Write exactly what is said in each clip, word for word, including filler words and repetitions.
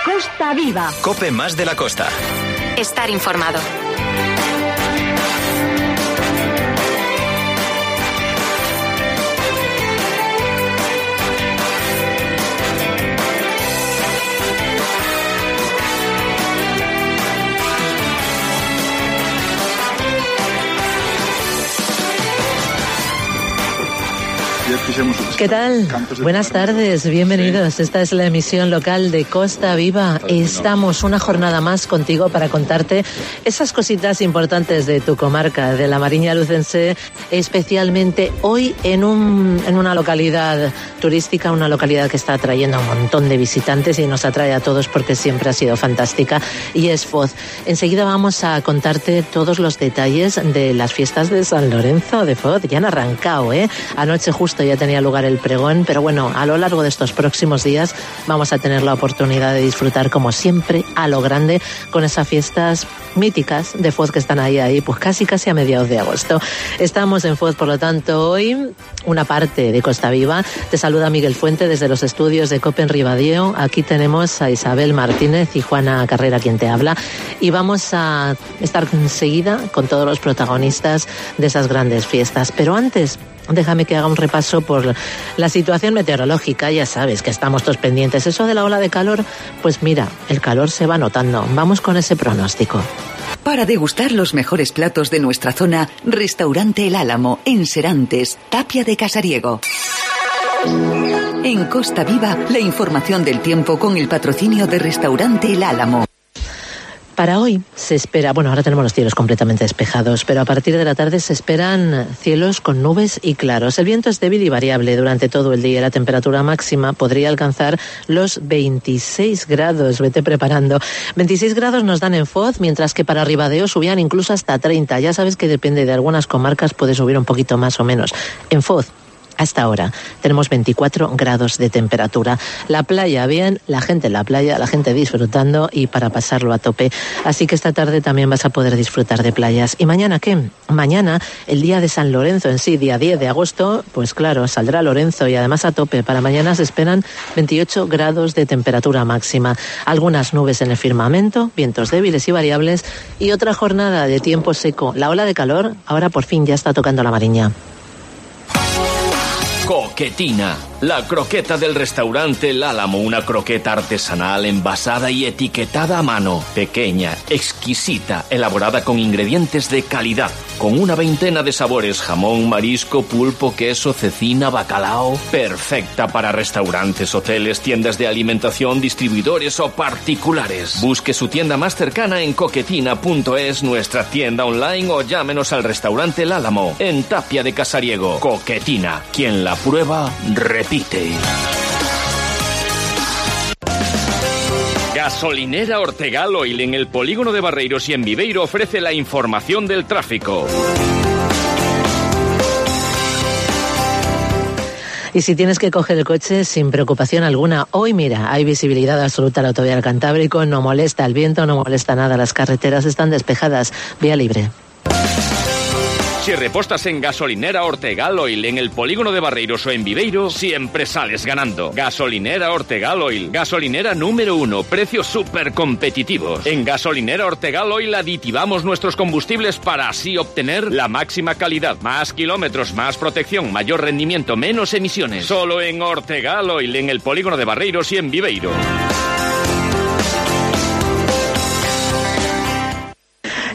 Costa Viva. COPE más de la costa. Estar informado. ¿Qué tal? Buenas tardes, bienvenidos. Esta es la emisión local de Costa Viva. Estamos una jornada más contigo para contarte esas cositas importantes de tu comarca, de la Mariña Lucense, especialmente hoy en, un, en una localidad turística, una localidad que está atrayendo a un montón de visitantes y nos atrae a todos porque siempre ha sido fantástica, y es Foz. Enseguida vamos a contarte todos los detalles de las fiestas de San Lorenzo de Foz. Ya han arrancado, ¿eh? Anoche justo ya tenía lugar el pregón, pero bueno, a lo largo de estos próximos días vamos a tener la oportunidad de disfrutar, como siempre, a lo grande, con esas fiestas míticas de Foz que están ahí, ahí, pues casi casi a mediados de agosto. Estamos en Foz, por lo tanto, hoy una parte de Costa Viva. Te saluda Miguel Fuente desde los estudios de COPE en Ribadeo. Aquí tenemos a Isabel Martínez y Juana Carrera quien te habla, y vamos a estar enseguida con todos los protagonistas de esas grandes fiestas. Pero antes, déjame que haga un repaso por la situación meteorológica. Ya sabes que estamos todos pendientes. Eso de la ola de calor, pues mira, el calor se va notando. Vamos con ese pronóstico. Para degustar los mejores platos de nuestra zona, Restaurante El Álamo, en Serantes, Tapia de Casariego. En Costa Viva, la información del tiempo con el patrocinio de Restaurante El Álamo. Para hoy se espera, bueno, ahora tenemos los cielos completamente despejados, pero a partir de la tarde se esperan cielos con nubes y claros. El viento es débil y variable durante todo el día. La temperatura máxima podría alcanzar los veintiséis grados. Vete preparando. veintiséis grados nos dan en Foz, mientras que para Ribadeo subían incluso hasta treinta. Ya sabes que depende de algunas comarcas, puede subir un poquito más o menos. En Foz, hasta ahora tenemos veinticuatro grados de temperatura. La playa, bien, la gente en la playa, la gente disfrutando y para pasarlo a tope. Así que esta tarde también vas a poder disfrutar de playas. ¿Y mañana qué? Mañana, el día de San Lorenzo en sí, día diez de agosto, pues claro, saldrá Lorenzo y además a tope. Para mañana se esperan veintiocho grados de temperatura máxima. Algunas nubes en el firmamento, vientos débiles y variables y otra jornada de tiempo seco. La ola de calor ahora por fin ya está tocando la Mariña. Coquetina, la croqueta del restaurante El Álamo, una croqueta artesanal envasada y etiquetada a mano, pequeña, exquisita, elaborada con ingredientes de calidad, con una veintena de sabores: jamón, marisco, pulpo, queso, cecina, bacalao, perfecta para restaurantes, hoteles, tiendas de alimentación, distribuidores o particulares. Busque su tienda más cercana en coquetina punto es, nuestra tienda online, o llámenos al restaurante El Álamo, en Tapia de Casariego. Coquetina, quien la prueba, repite. Gasolinera Ortegal Oil en el polígono de Barreiros y en Viveiro ofrece la información del tráfico. Y si tienes que coger el coche, sin preocupación alguna, hoy mira, hay visibilidad absoluta a la autovía del Cantábrico, no molesta el viento, no molesta nada, las carreteras están despejadas, vía libre. Si repostas en Gasolinera Ortegal Oil en el polígono de Barreiros o en Viveiro, siempre sales ganando. Gasolinera Ortegal Oil, gasolinera número uno, precios súper competitivos. En Gasolinera Ortegal Oil aditivamos nuestros combustibles para así obtener la máxima calidad, más kilómetros, más protección, mayor rendimiento, menos emisiones. Solo en Ortegal Oil en el polígono de Barreiros y en Viveiro.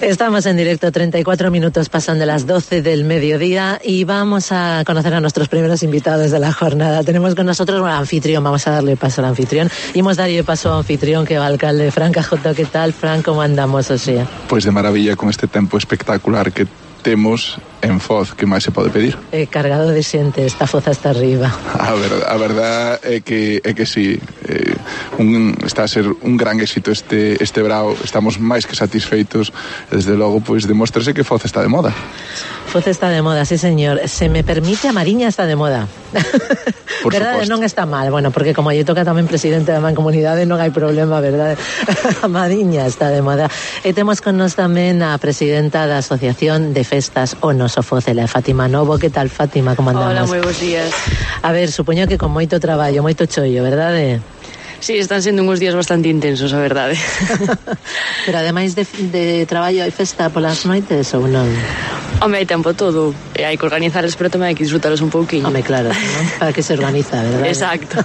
Estamos en directo, treinta y cuatro minutos pasan de las doce del mediodía y vamos a conocer a nuestros primeros invitados de la jornada. Tenemos con nosotros un anfitrión, vamos a darle paso al anfitrión. Y hemos darle paso al anfitrión que va alcalde, Fran Cajoto. ¿Qué tal, Fran? ¿Cómo andamos, o sea? Pues de maravilla, con este tempo espectacular que temos en Foz, que máis se pode pedir? Eh, cargado de xente, esta Foz hasta arriba. A, ver, a verdad é que, é que sí, eh, un, está a ser un gran éxito este, este brao, estamos máis que satisfeitos, desde logo, pois demóstrase que Foz está de moda. Foz está de moda, sí señor. Se me permite, a Mariña está de moda. Por verdade, suposto. Non está mal, bueno, porque como allí toca tamén presidente da Mancomunidade, non hai problema, verdade? A Mariña está de moda. E temos con nós tamén a presidenta da Asociación de Festas O Noso Foz, ela é Fátima Novo. Que tal, Fátima, como andamos? Hola, moi bons días. A ver, supoño que con moito traballo, moito chollo, verdade? Sí, están sendo uns días bastante intensos, a verdade. Pero ademais de, de traballo hai festa polas noites ou non? Home, hai tempo todo, e hai que organizarles, pero tamén hai que disfrutaros un pouquinho. Home, claro, ¿no? Para que se organiza, verdade? Exacto.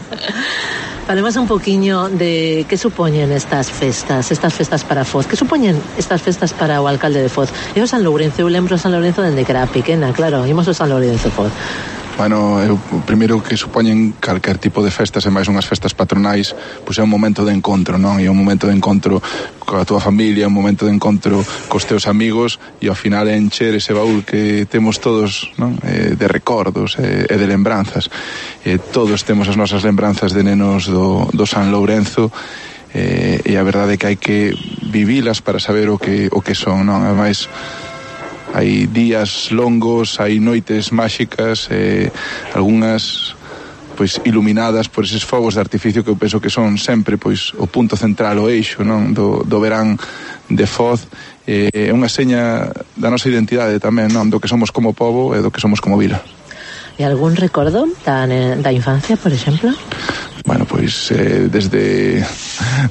Falemos un poquinho de que supoñen estas festas, estas festas para Foz. Que supoñen estas festas para o alcalde de Foz? E o San Lourenzo, eu lembro o San Lourenzo dende que era pequena, claro, imos o San Lourenzo Foz. Bueno, eu, o primeiro que supoñen calquer tipo de festas e máis unhas festas patronais, pois é un momento de encontro, non? E un momento de encontro coa tua familia, un momento de encontro cos teus amigos e ao final é encher ese baúl que temos todos, non? Eh, de recordos e, e de lembranzas. Eh, todos temos as nosas lembranzas de nenos do, do San Lourenzo eh, e a verdade é que hai que vivilas para saber o que, o que son, non? Ademais, hai días longos, hai noites máxicas, eh, algunhas pois iluminadas por eses fogos de artificio que eu penso que son sempre pois o punto central, o eixo, non, do, do verán de Foz. É eh, unha seña da nosa identidade tamén, non, do que somos como pobo e do que somos como vila. E algún recordo da, da infancia, por exemplo? Bueno, pois eh, desde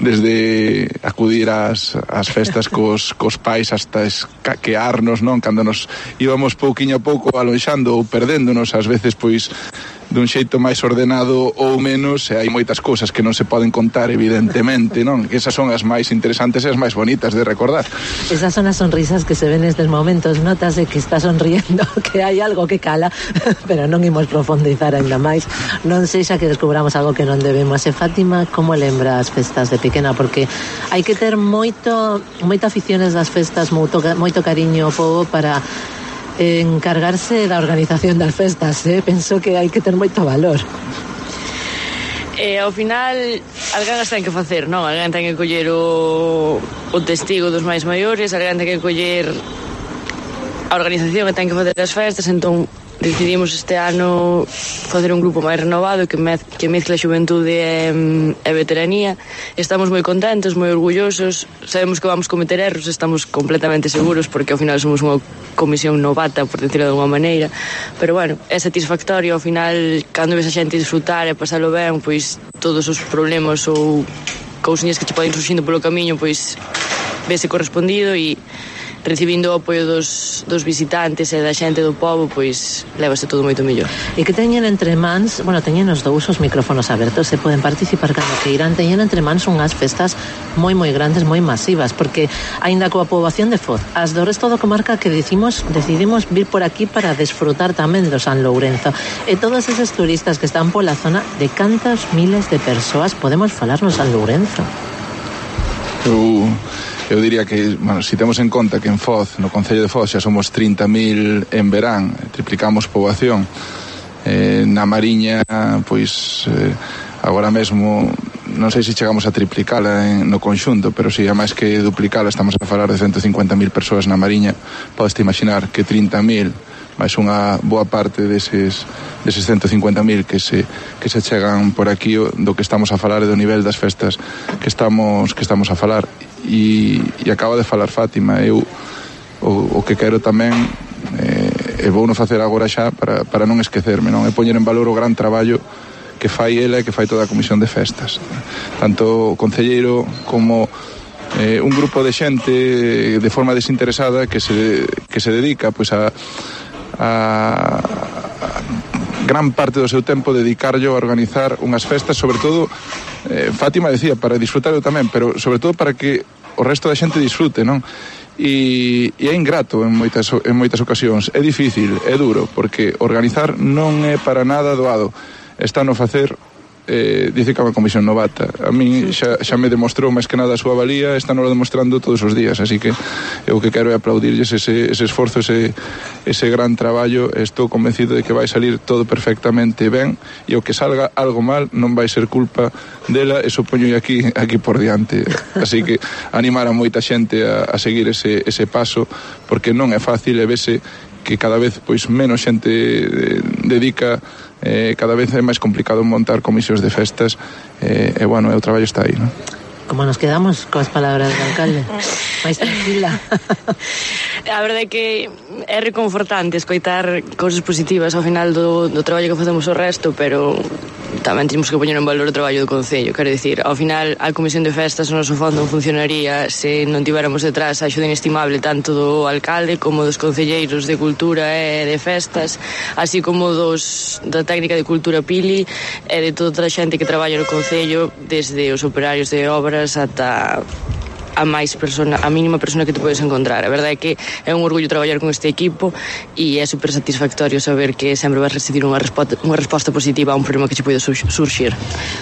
desde acudir ás, ás festas cos, cos pais hasta escaquearnos, non? Cando nos íbamos pouquiño a pouco alonxando ou perdéndonos, ás veces pois dun xeito máis ordenado ou menos, e hai moitas cousas que non se poden contar, evidentemente, non? Que esas son as máis interesantes e as máis bonitas de recordar. Esas son as sonrisas que se ven nestes momentos, notase que está sonriendo, que hai algo que cala, pero non imos profundizar ainda máis, non sexa que descubramos algo que non debemos. E Fátima, como lembra as festas de pequena? Porque hai que ter moito moita aficiones das festas, moito, moito cariño ao povo para encargarse da organización das festas, eh? Penso que hai que ter moito valor. E ao final alguén as ten que facer, non? Alguén ten que coller o, o testigo dos máis maiores, alguén ten que coller a organización que ten que facer as festas. Entón decidimos este ano facer un grupo máis renovado que, mez, que mezcla xuventude e, e veteranía. Estamos moi contentos, moi orgullosos, sabemos que vamos cometer erros, estamos completamente seguros porque ao final somos unha comisión novata, por decirlo de alguma maneira, pero bueno, é satisfactorio ao final cando ves a xente disfrutar e pasalo ben, pois todos os problemas ou cousiñas que che poden surxindo polo camiño, pois vese correspondido e recibindo o apoio dos, dos visitantes e da xente do pobo, pois lévase todo moito mellor. E que teñen entre mans, bueno, teñen os dous os micrófonos abertos e poden participar cando que irán, teñen entre mans unhas festas moi moi grandes, moi masivas, porque aínda coa poboación de Foz, as do resto da comarca que decimos, decidimos vir por aquí para desfrutar tamén do San Lourenzo, e todos eses turistas que están pola zona, de cantas miles de persoas podemos falar no San Lourenzo? Eu... Eu diría que, bueno, si temos en conta que en Foz, no Concello de Foz, xa somos trinta mil en verán, triplicamos poboación, eh, na Mariña, pois, eh, agora mesmo, non sei se chegamos a triplicala en, no conxunto, pero si a máis que duplicala, estamos a falar de ciento cincuenta mil persoas na Mariña. Podes-te imaginar que trinta mil, máis unha boa parte deses, deses ciento cincuenta mil que se, que se chegan por aquí, do que estamos a falar e do nivel das festas que estamos, que estamos a falar. E, e acaba de falar Fátima, eu o, o que quero tamén eh, e vou non facer agora xa para, para non esquecerme, non é poñer en valor o gran traballo que fai ela e que fai toda a comisión de festas, tanto o concelleiro como eh, un grupo de xente de forma desinteresada que se, que se dedica pois a, a, a gran parte do seu tempo dedicarlo a organizar unhas festas, sobre todo eh, Fátima decía, para disfrutar eu tamén, pero sobre todo para que o resto da xente disfrute, non? E, e é ingrato en moitas, en moitas ocasións, é difícil, é duro, porque organizar non é para nada doado. Está no facer, eh, dice que é unha comisión novata. A mí xa, xa me demostrou máis que nada a súa valía, está no demostrando todos os días, así que eu que quero é aplaudirlles ese, ese esforzo, ese, ese gran traballo. Estou convencido de que vai salir todo perfectamente ben, e o que salga algo mal non vai ser culpa dela, e supoño aquí, aquí por diante. Así que animar a moita xente a, a seguir ese, ese paso, porque non é fácil, e vese que cada vez pois menos xente dedica, eh, cada vez é máis complicado montar comisións de festas, eh, e bueno, o traballo está aí, non? Como nos quedamos coas palabras do alcalde? máis tranquila. A verdade é que é reconfortante escoitar cousas positivas ao final do, do traballo que facemos o resto, pero tamén temos que poñer en valor o traballo do Concello. Quero dicir, ao final a Comisión de Festas no noso fondo non funcionaría se non tiveramos detrás a axuda inestimable tanto do alcalde como dos concelleiros de Cultura e de Festas, así como dos da técnica de Cultura Pili e de toda a xente que traballa no Concello, desde os operarios de obras ata a máis persona, a mínima persona que te podes encontrar. A verdade é que é un orgullo traballar con este equipo e é super satisfactorio saber que sempre vas recibir unha resposta, unha resposta positiva a un problema que se pode surxir.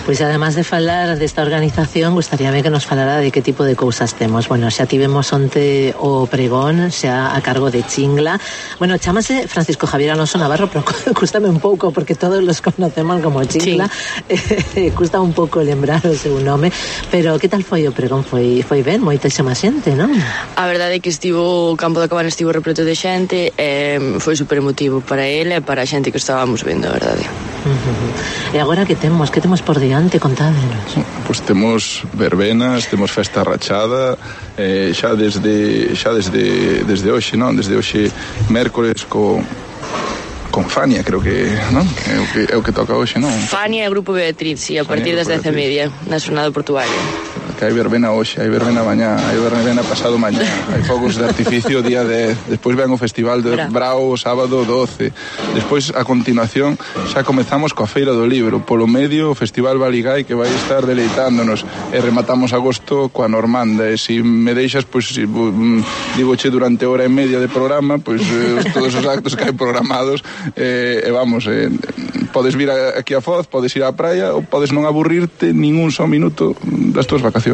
Pois además de falar desta organización, gustaríame que nos falara de que tipo de cousas temos. Bueno, xa tivemos onte o pregón, xa a cargo de Chingla. Bueno, chámase Francisco Javier Alonso Navarro, pero cústame un pouco porque todos los conocemos como Chingla. Sí. Custa un pouco lembrar o seu nome, pero que tal foi o pregón? Foi foi ben? Moitísima xente, non? A verdade é que estivo, o campo da Cabana estivo repleto de xente e foi super emotivo para ele e para a xente que estábamos vendo, a verdade. Uh-huh. E agora que temos? Que temos por diante? Contádenos. Pois temos verbenas, temos festa rachada, eh, xa desde xa desde desde hoxe, non? Desde hoxe mércores co con Fania, creo que, non? É o que é o que toca hoxe, non? Fania e o grupo Beatriz, sí, a partir das dez e media na Xornada Portuaria. Que hai verbena hoxe, hai verbena mañá, hai verbena pasado mañá, hai fogos de artificio día dez, despois ven o festival de Brao sábado doce, despois a continuación xa comezamos coa Feira do Libro, polo medio o Festival Baligái que vai estar deleitándonos e rematamos agosto coa Normanda e se me deixas, pois si, digoche durante hora e media de programa, pois eh, todos os actos que hai programados eh, e vamos, eh, podes vir aquí a Foz, podes ir á praia ou podes non aburrirte ningún só minuto das túas vacacións.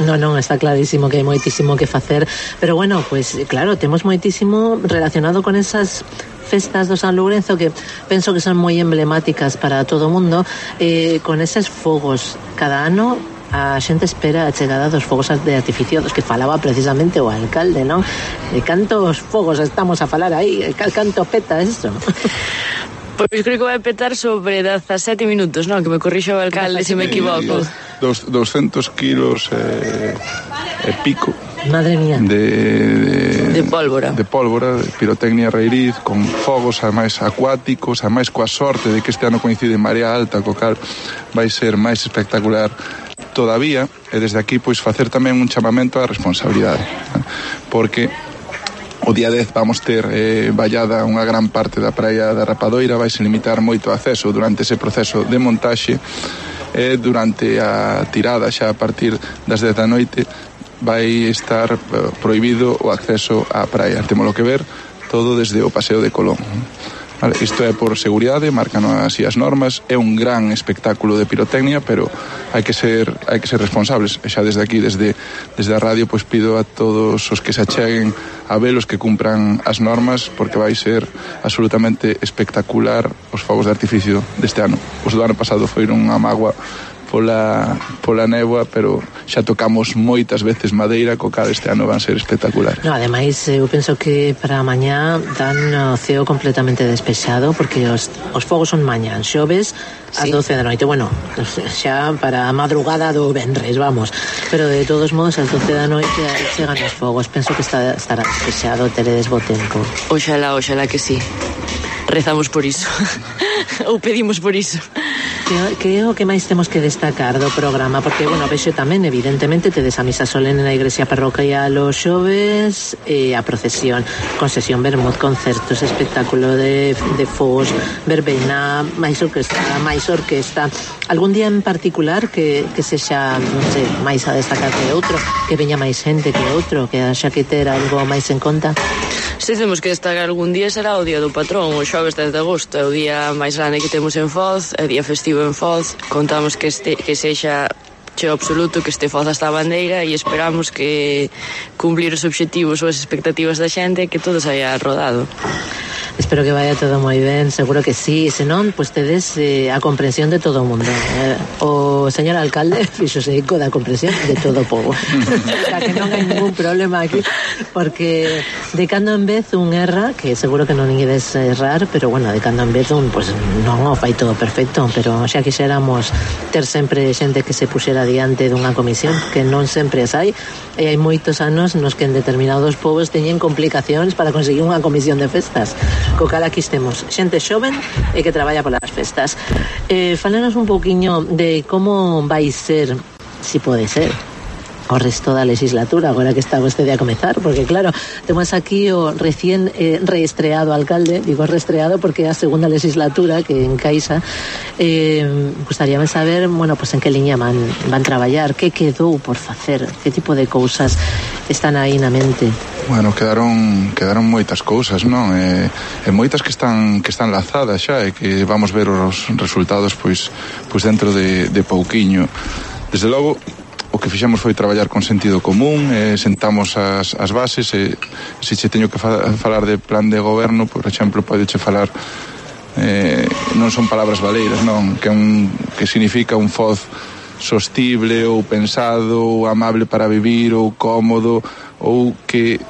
Non, non, está clarísimo que hai moitísimo que facer, pero bueno, pues claro, temos moitísimo relacionado con esas festas do San Lourenzo que penso que son moi emblemáticas para todo o mundo, eh, con eses fogos cada ano. A xente espera a chegada dos fogos de artificio dos que falaba precisamente o alcalde, non? De cantos fogos estamos a falar aí, canto peta eso? Pois creo que vai petar sobre dezasete minutos, non? Que me corrixo o alcalde se me equivoco. Dos, doscientos kilos e eh, pico. Madre mía. De, de, de pólvora. De pólvora, de pirotecnia raíz, con fogos ademais acuáticos, ademais coa sorte de que este ano coincide en marea alta, co cal vai ser máis espectacular todavía, e desde aquí pois facer tamén un chamamento á responsabilidade, porque o día dez vamos ter eh, vallada unha gran parte da praia da Rapadoira, vai se limitar moito o acceso durante ese proceso de montaxe e durante a tirada xa a partir das dez da noite vai estar eh, prohibido o acceso á praia. Témolo que ver todo desde o Paseo de Colón. Vale, isto é por seguridade, marcan así as normas, é un gran espectáculo de pirotecnia, pero hai que ser hai que ser responsables. E xa desde aquí, desde desde a radio, pois pido a todos os que se acheguen a velos que cumpran as normas, porque vai ser absolutamente espectacular os fogos de artificio deste ano. Os do ano pasado foron unha mágoa pola, pola néboa, pero xa tocamos moitas veces madeira, co cal este ano van ser espectaculares. No, ademais, eu penso que para mañá dan o ceo completamente despexado, porque os, os fogos son mañá, xoves ás sí. doce da noite, bueno, xa para a madrugada do venres, vamos, pero de todos modos ás doce da noite chegan os fogos, penso que está, estará despexado, teredes bo tempo. Oxalá, oxalá que sí. Rezamos por iso. Ou pedimos por iso. Que, que é o que máis temos que destacar do programa? Porque, bueno, vexo tamén, evidentemente, tedes a misa solene na igrexa parroquial os xoves, e a procesión, con sesión vermut, concertos, espectáculo de, de fogos, verbena, máis orquesta, máis orquesta. Algún día en particular que, que sexa, non sei, máis a destacar que outro, que veña máis xente que outro, que haxa que ter algo máis en conta? Se temos que destacar algún día será o día do patrón, o xoves dez de agosto, é o día máis grande que temos en Foz, é o día festivo en Foz. Contamos que este que sexa cheo absoluto, que este Foz hasta a bandeira, e esperamos que cumplir os obxectivos ou as expectativas da xente, que todo saia rodado. Espero que vaya todo moi ben, seguro que sí, senón, pois pues tedes eh, a comprensión de todo o mundo. Eh, o señor alcalde fixose eco da comprensión de todo o povo. O sea, que non hai ningún problema aquí, porque de cando en vez un erra, que seguro que non ides errar, pero bueno, de cando en vez un, pois pues, non o fai todo perfecto, pero xa quixéramos ter sempre xente que se puxera diante dunha comisión, que non sempre as hai, e hai moitos anos nos que en determinados povos teñen complicacións para conseguir unha comisión de festas. Co cal aquí estemos xente xoven e que traballa polas festas. Eh, falanos un pouquiño de como vai ser, si pode ser, o resto da legislatura, agora que está vostede a comezar, porque claro, temos aquí o recién eh, reestreado alcalde, digo reestreado porque é a segunda legislatura que encaixa. Eh, gustaríame saber, bueno, pues en que liña van, van traballar, que quedou por facer, que tipo de cousas están aí na mente. Bueno, quedaron quedaron moitas cousas, non? E, e moitas que están que están lanzadas xa e que vamos ver os resultados pois pois dentro de, de pouquiño. Desde logo, o que fixemos foi traballar con sentido común, eh, sentamos as, as bases, e se che teño que fa, falar de plan de goberno, por exemplo, podeche falar, eh, non son palabras baleiras, non, que, un, que significa un foz sostible ou pensado, ou amable para vivir, ou cómodo, ou que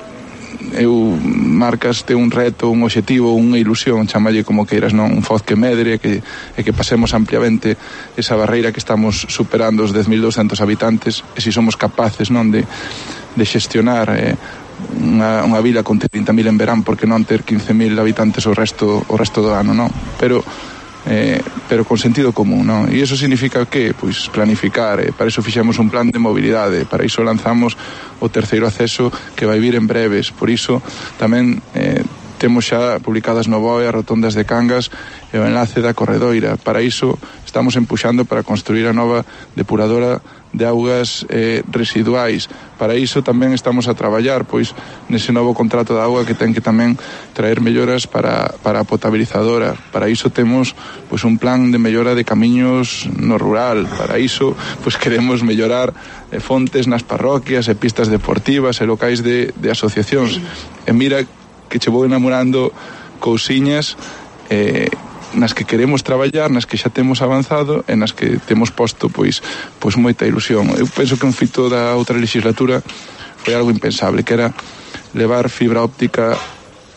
eu marcaste un reto, un obxectivo, unha ilusión, chamalle como queiras, non? Un foz que medre e que, e que pasemos ampliamente esa barreira que estamos superando os dez mil douscentos habitantes, e se si somos capaces, non, de, de xestionar eh, unha, unha vila con trinta mil en verán, porque non ter quince mil habitantes o resto, o resto do ano, non? Pero Eh, pero con sentido común, non? E iso significa que, pois, planificar, eh, para iso fixemos un plan de mobilidade, para iso lanzamos o terceiro acceso que vai vir en breves, por iso tamén eh, temos xa publicadas no B O E as rotondas de Cangas e o enlace da Corredoira. Para iso estamos empuxando para construir a nova depuradora de augas eh, residuais. Para iso tamén estamos a traballar pois nese novo contrato de auga que ten que tamén traer melloras para, para a potabilizadora. Para iso temos pois un plan de mellora de camiños no rural. Para iso pois queremos mellorar eh, fontes nas parroquias e pistas deportivas e locais de, de asociacións. E mira que che vou enamorando cousiñas eh, nas que queremos traballar, nas que xa temos avanzado e nas que temos posto pois pois moita ilusión. Eu penso que un fito da outra legislatura foi algo impensable, que era levar fibra óptica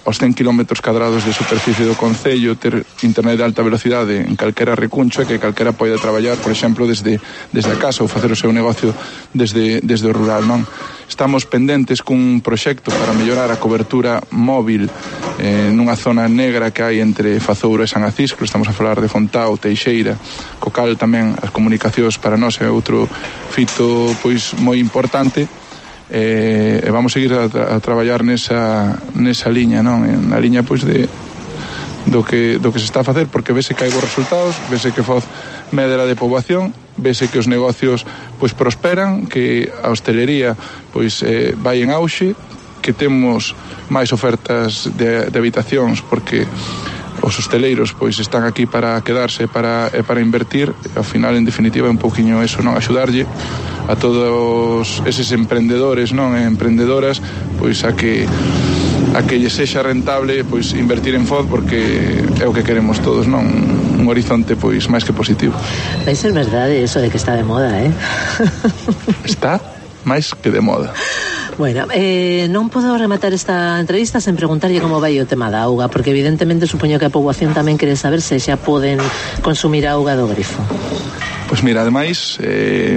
aos cen kilómetros cadrados de superficie do concello, ter internet de alta velocidade en calquera recuncho e que calquera poida traballar, por exemplo, desde desde a casa ou facer o seu negocio desde desde o rural, non? Estamos pendentes cun proxecto para mellorar a cobertura móvil eh, nunha zona negra que hai entre Fazouro e San Acisclo. Estamos a falar de Fontao, Teixeira, co cal tamén as comunicacións para nós é outro fito pois moi importante. E eh, vamos seguir a, tra- a traballar nesa nesa liña, non? Na liña pois de do que do que se está a facer, porque vese que hai bons resultados, vese que Foz medra de poboación, vese que os negocios pois prosperan, que a hostelería pois eh, vai en auxe, que temos máis ofertas de, de habitacións, porque os hosteleiros pois están aquí para quedarse para, e para invertir. E, ao final, en definitiva, é un pouquiño eso, non? Axudarlle a todos eses emprendedores, non? E emprendedoras, pois a que a que lle sexa rentable pois invertir en Foz, porque é o que queremos todos, non? Un horizonte pois máis que positivo. Vai ser verdade eso de que está de moda, eh? Está máis que de moda. Bueno, eh, non podo rematar esta entrevista sen preguntarlle como vai o tema da auga, porque evidentemente supoño que a poboación tamén quere saber se xa poden consumir auga do grifo. Pois mira, ademais eh,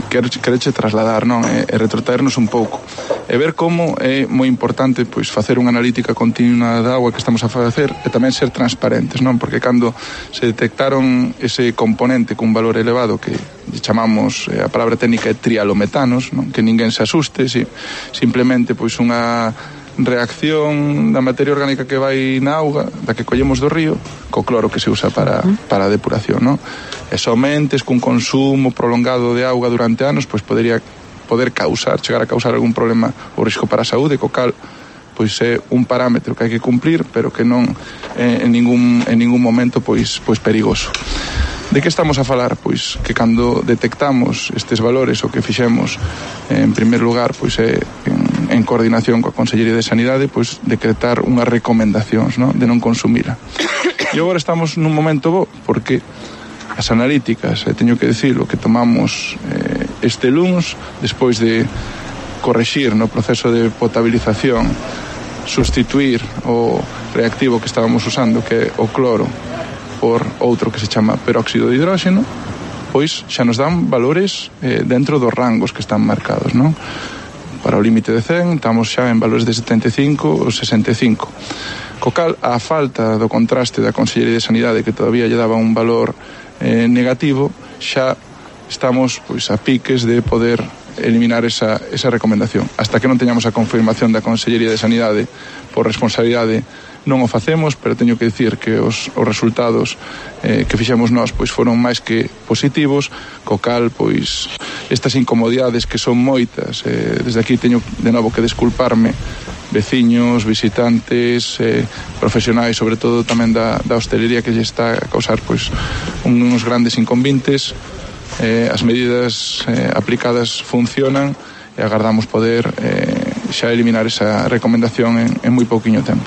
quereche trasladar, non? E, e retrotraernos un pouco e ver como é moi importante pois facer unha analítica continua da auga que estamos a facer e tamén ser transparentes, non? Porque cando se detectaron ese componente cun valor elevado que chamamos, eh, a palabra técnica é trialometanos, non? Que ninguén se asuste, si, simplemente pois unha reacción da materia orgánica que vai na auga, da que collemos do río, co cloro que se usa para, para a depuración, non? E somente cun consumo prolongado de auga durante anos, pois podería poder causar, chegar a causar algún problema ou risco para a saúde, co cal pois é un parámetro que hai que cumplir, pero que non é en ningún, en ningún momento pois, pois perigoso. De que estamos a falar? Pois que cando detectamos estes valores, o que fixemos en primer lugar pois é en en, en coordinación coa Consellería de Sanidade, pois decretar unhas recomendacións, no? De non consumila. E agora estamos nun momento bo, porque as analíticas, eh, teño que decirlo, que tomamos eh, este luns, despois de correxir no proceso de potabilización, sustituir o reactivo que estábamos usando, que é o cloro, por outro que se chama peróxido de hidróxeno, pois xa nos dan valores eh, dentro dos rangos que están marcados, non? Para o límite de cen, estamos xa en valores de setenta e cinco ou sesenta e cinco. Co cal, a falta do contraste da Consellería de Sanidade, que todavía lle daba un valor eh, negativo, xa estamos pois a piques de poder eliminar esa, esa recomendación. Hasta que non teñamos a confirmación da Consellería de Sanidade por responsabilidade, non o facemos, pero teño que dicir que os, os resultados eh, que fixemos nós pois foron máis que positivos, co cal pois estas incomodidades que son moitas, eh, desde aquí teño de novo que desculparme veciños, visitantes, eh, profesionais, sobre todo tamén da, da hostelería, que lle está a causar pois uns grandes inconvintes. Eh, as medidas eh, aplicadas funcionan e agardamos poder eh, xa eliminar esa recomendación en, en moi pouquiño tempo.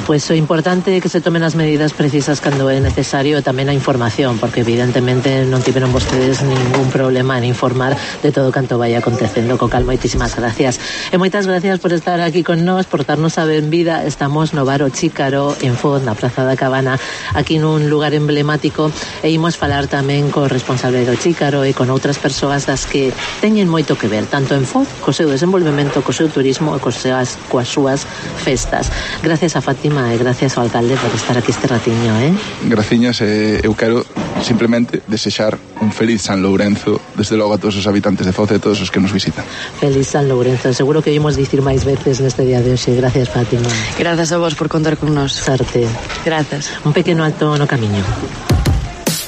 Pois o importante é que se tomen as medidas precisas cando é necesario e tamén a información, porque evidentemente non tiveron vostedes ningún problema en informar de todo canto vai acontecendo. Co cal, moitísimas gracias. E moitas gracias por estar aquí con nós, por darnos a benvida. Estamos no Bar O Chícaro, en Foz, na Praza da Cabana, aquí nun lugar emblemático, e imos falar tamén co responsable do Chícaro e con outras persoas das que teñen moito que ver, tanto en Foz, co seu desenvolvemento, co seu turismo e cos seas, coas súas festas. Gracias a Fátima e gracias ao alcalde por estar aquí este ratiño, eh? Graciñas, eh, eu quero simplemente desexar un feliz San Lourenzo, desde logo a todos os habitantes de Foz e a todos os que nos visitan. Feliz San Lourenzo, seguro que oímos dicir máis veces neste día de hoxe. Gracias, Fátima. Grazas a vos por contar con nós. Sarte. Grazas. Un pequeno alto no camiño.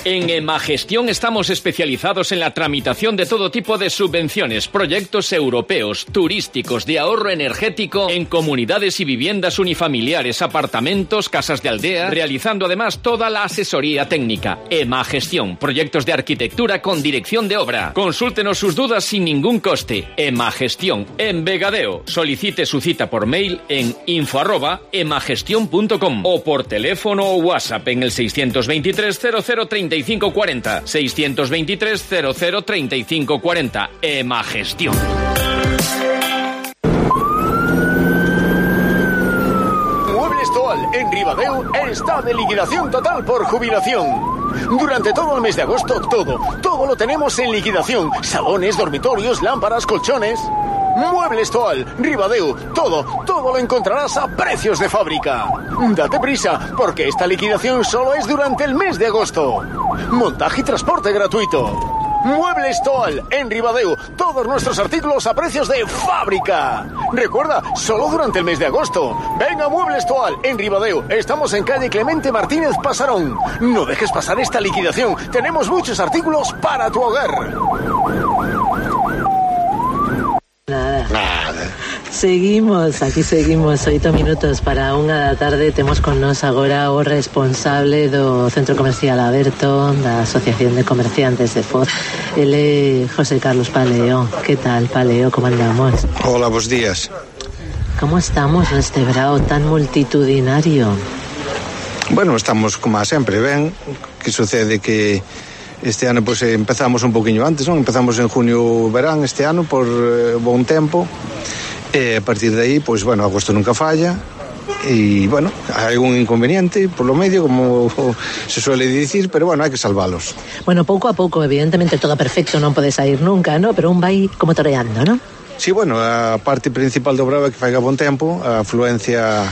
En Emagestión estamos especializados en la tramitación de todo tipo de subvenciones, proyectos europeos, turísticos, de ahorro energético, en comunidades y viviendas unifamiliares, apartamentos, casas de aldea, realizando además toda la asesoría técnica. Emagestión, proyectos de arquitectura con dirección de obra. Consúltenos sus dudas sin ningún coste. Emagestión, en Vegadeo. Solicite su cita por mail en info arroba emagestion punto com o por teléfono o WhatsApp en el seiscientos veintitrés cero cero treinta y cinco cuarenta, seiscientos veintitrés cero cero treinta y cinco cuarenta. Emagestión. Muebles Toal en Ribadeo está de liquidación total por jubilación. Durante todo el mes de agosto, todo, todo lo tenemos en liquidación. Salones, dormitorios, lámparas, colchones. Muebles Toal, Ribadeo, todo, todo lo encontrarás a precios de fábrica. Date prisa, porque esta liquidación solo es durante el mes de agosto. Montaje y transporte gratuito. Muebles Toal, en Ribadeo, todos nuestros artículos a precios de fábrica. Recuerda, solo durante el mes de agosto. Venga, Muebles Toal, en Ribadeo, estamos en calle Clemente Martínez Pasarón. No dejes pasar esta liquidación, tenemos muchos artículos para tu hogar. Nada. Nada. Seguimos, aquí seguimos, oito minutos para unha da tarde. Temos con nos agora o responsable do Centro Comercial Aberto, da Asociación de Comerciantes de Foz. Ele é José Carlos Paleo. Que tal, Paleo, como andamos? Hola, bos días. Como estamos neste brao tan multitudinario? Bueno, estamos como a sempre, ben. Que sucede que este ano pues, empezamos un poquinho antes, non? Empezamos en junio verán este ano por eh, bon tempo, e a partir de aí, pues, bueno, agosto nunca falla, e, bueno, hai algún inconveniente por lo medio, como se suele dicir, pero, bueno, hai que salvalos. Bueno, pouco a pouco, evidentemente, todo perfecto, non pode sair nunca, ¿no? Pero un vai como toreando, ¿no? Sí, bueno, a parte principal do bravo é que faiga bon tempo, a afluencia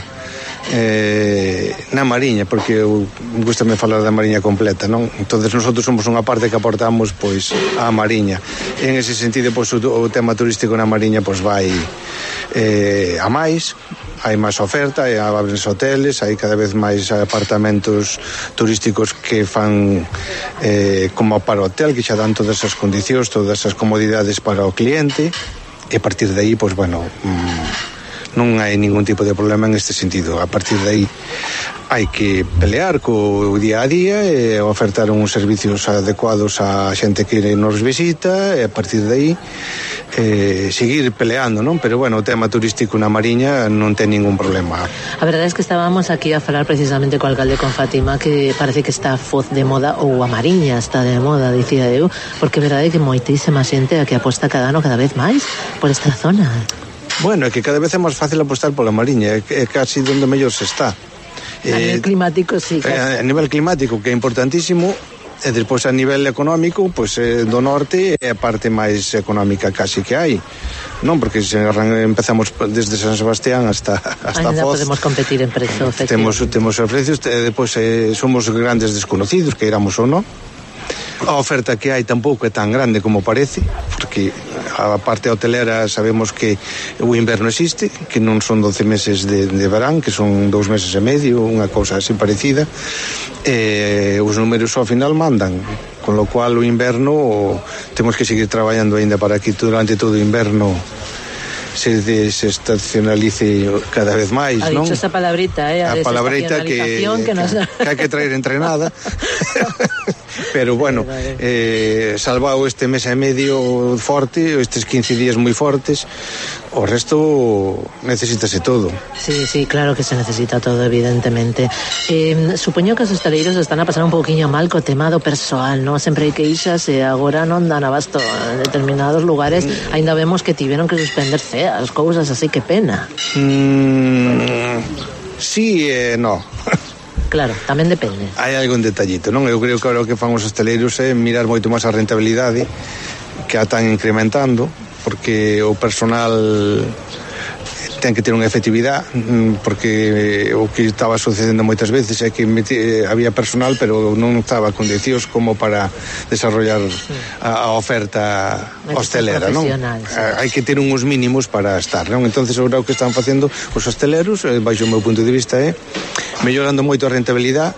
eh, na Mariña, porque eu gustame falar da Mariña completa, non? Entonces nosotros somos unha parte que aportamos pois á Mariña. En ese sentido, pois o, o tema turístico na Mariña pois vai eh, a máis, hai máis oferta, hai abrense hoteles, hai cada vez máis apartamentos turísticos que fan eh, como para o hotel, que xa dan todas as condicións, todas as comodidades para o cliente, e a partir de aí, pois bueno, mmm, non hai ningún tipo de problema en este sentido. A partir de aí hai que pelear co día a día e ofertar uns servicios adecuados á xente que nos visita e a partir de aí eh, seguir peleando, non? Pero bueno, o tema turístico na Mariña non ten ningún problema. A verdade é que estábamos aquí a falar precisamente co alcalde, con Fátima, que parece que está foz de moda, ou a Mariña está de moda, dicía eu, porque é verdade que moitísima xente a que aposta cada ano cada vez máis por esta zona. Bueno, é que cada vez é máis fácil apostar pola Mariña, é casi onde mellor se está. A nivel climático, sí. A nivel climático, que é importantísimo, e despois a nivel económico, pois eh, do norte é a parte máis económica casi que hai, non? Porque se empezamos desde San Sebastián hasta hasta Ainda Foz, podemos competir en prezo, temos temos os precios, e depois eh, somos grandes desconocidos, que éramos ou non. A oferta que hai tampouco é tan grande como parece, porque a parte hotelera sabemos que o inverno existe, que non son doce meses de, de verán, que son dous meses e medio, unha cousa así parecida, e os números ao final mandan, con lo cual o inverno temos que seguir traballando aínda para que durante todo o inverno se desestacionalice cada vez máis, non? Ha dicho esa palabrita, eh? A, a palabrita que, que, nos... que hai que traer entrenada. Pero bueno, eh, salvado este mes e medio forte, estes quince días moi fortes, o resto necesítase todo. Sí, sí, claro que se necesita todo, evidentemente. Eh, supoño que os hostaleiros están a pasar un pouquiño mal co tema do persoal, non? Sempre hai queixas e agora non dan abasto en determinados lugares, mm. Ainda vemos que tiveron que suspender ceas, cousas así, que pena. Mm, sí e eh, no. Claro, tamén depende. Hai algún detallito, non? Eu creo que ahora o que fan os hosteleiros é mirar moito máis a rentabilidade, que a están incrementando, porque o personal ten que ter unha efectividade, porque o que estaba sucedendo moitas veces é que había personal pero non estaba condicións como para desarrollar a, a oferta hostelera, non? Sí. Hai que ter uns mínimos para estar, non? Entonces agora o que están facendo os hosteleros, baixo o meu punto de vista, é mellorando moito a rentabilidade,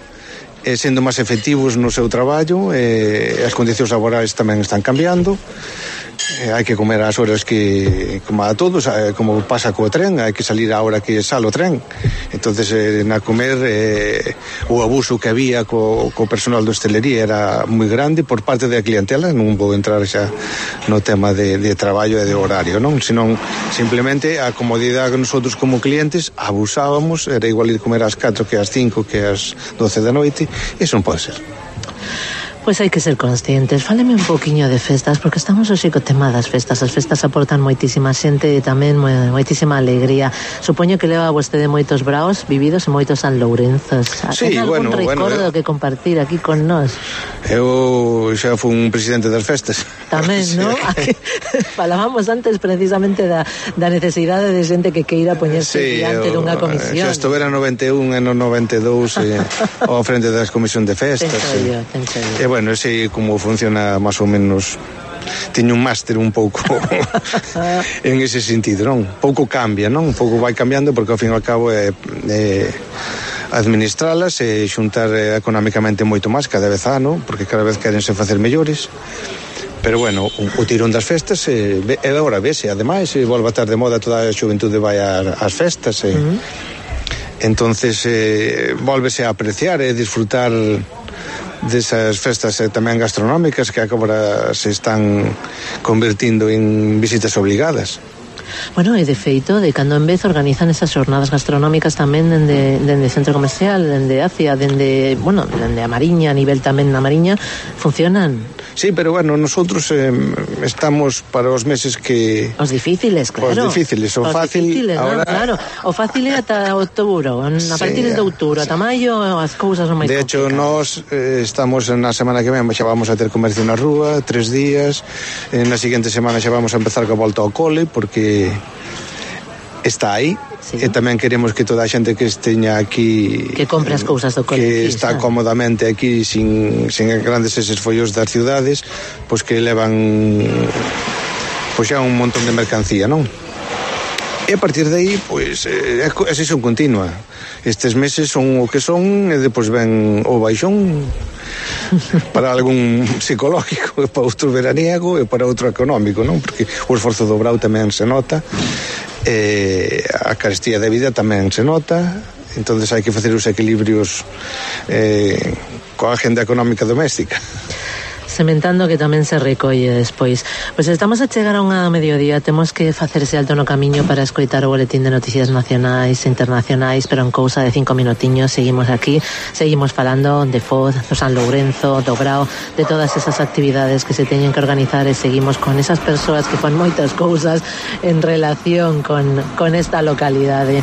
e sendo máis efectivos no seu traballo, e as condicións laborais tamén están cambiando. Eh, hai que comer as horas que, como a todos, eh, como pasa co tren, hai que salir a hora que sale o tren. Entonces eh, na comer eh, o abuso que había co, co personal de hostelería era moi grande por parte da clientela. Non vou entrar xa no tema de, de traballo e de horario, non? Senón simplemente a comodidade que nosotros como clientes abusábamos, era igual ir comer ás catro que ás cinco que ás doce da noite. Iso non pode ser. Pois hai que ser conscientes. Fáleme un pouquiño de festas, porque estamos hoxe co tema das festas. As festas aportan moitísima xente e tamén moitísima alegría. Supoño que leva vostede moitos braos vividos e moitos sanlourenzos. Sí, Ten algún bueno, recordo bueno, que compartir aquí con nós? Eu xa fui un presidente das festas. Tamén, sí. Non? Falábamos antes precisamente da, da necesidade de xente que queira poñerse sí, diante eu, dunha comisión. Xa estuvera no noventa e un e no noventa e dous eh, ao frente das comisión de festas. Penso eh. yo, penso yo. Bueno, sei como funciona máis ou menos. Teño un máster un pouco en ese sentido, non? Pouco cambia, non? Un pouco vai cambiando porque ao fin e ao cabo é, é administralas e xuntar económicamente moito máis cada vez ano, porque cada vez querense facer mellores. Pero bueno, o, o tirón das festas e, e agora vese, ademais, e volve a estar de moda, toda a xuventude vai ás festas e, uh-huh. Entonces eh, volvese a apreciar e disfrutar desas festas eh, tamén gastronómicas que agora se están convertindo en visitas obligadas. Bueno, e de feito, de cando en vez organizan esas xornadas gastronómicas tamén dende, dende centro comercial, dende Acia, dende, bueno, dende a Mariña, a nivel tamén na Mariña, funcionan. Sí, pero bueno, nosotros eh, estamos para os meses que... Os difíciles, claro. Os difíciles, o os fácil... Difíciles, ahora... ¿no? Claro, o fácil é ata outubro, a sí, partir de outubro, ata maio as cousas son máis de hecho, complicadas. nós eh, estamos na semana que ven, xa vamos a ter comercio na rúa, tres días, eh, na seguinte semana xa vamos a empezar coa volta ao cole, porque está aí. Sí. E tamén queremos que toda a xente que esteña aquí, que compre as cousas do cole, que está cómodamente aquí sin, sin grandes eses follos das cidades, pois que levan pois xa un montón de mercancía, non? E a partir de aí, pois é a sesión continua. Estes meses son o que son e depois ven o baixón para algún psicológico, para outro veraniego e para outro económico, non? Porque o esforzo do brao tamén se nota. eh, a carestía de vida tamén se nota, entonces hai que facer os equilibrios eh, coa agenda económica doméstica. Sementando que tamén se recolle despois. Pois estamos a chegar a unha mediodía, temos que facerse alto no camiño para escoitar o boletín de noticias nacionais e internacionais, pero en cousa de cinco minutiños seguimos aquí, seguimos falando de Foz, do San Lourenzo, do Grao, de todas esas actividades que se teñen que organizar, e seguimos con esas persoas que fan moitas cousas en relación con, con esta localidade.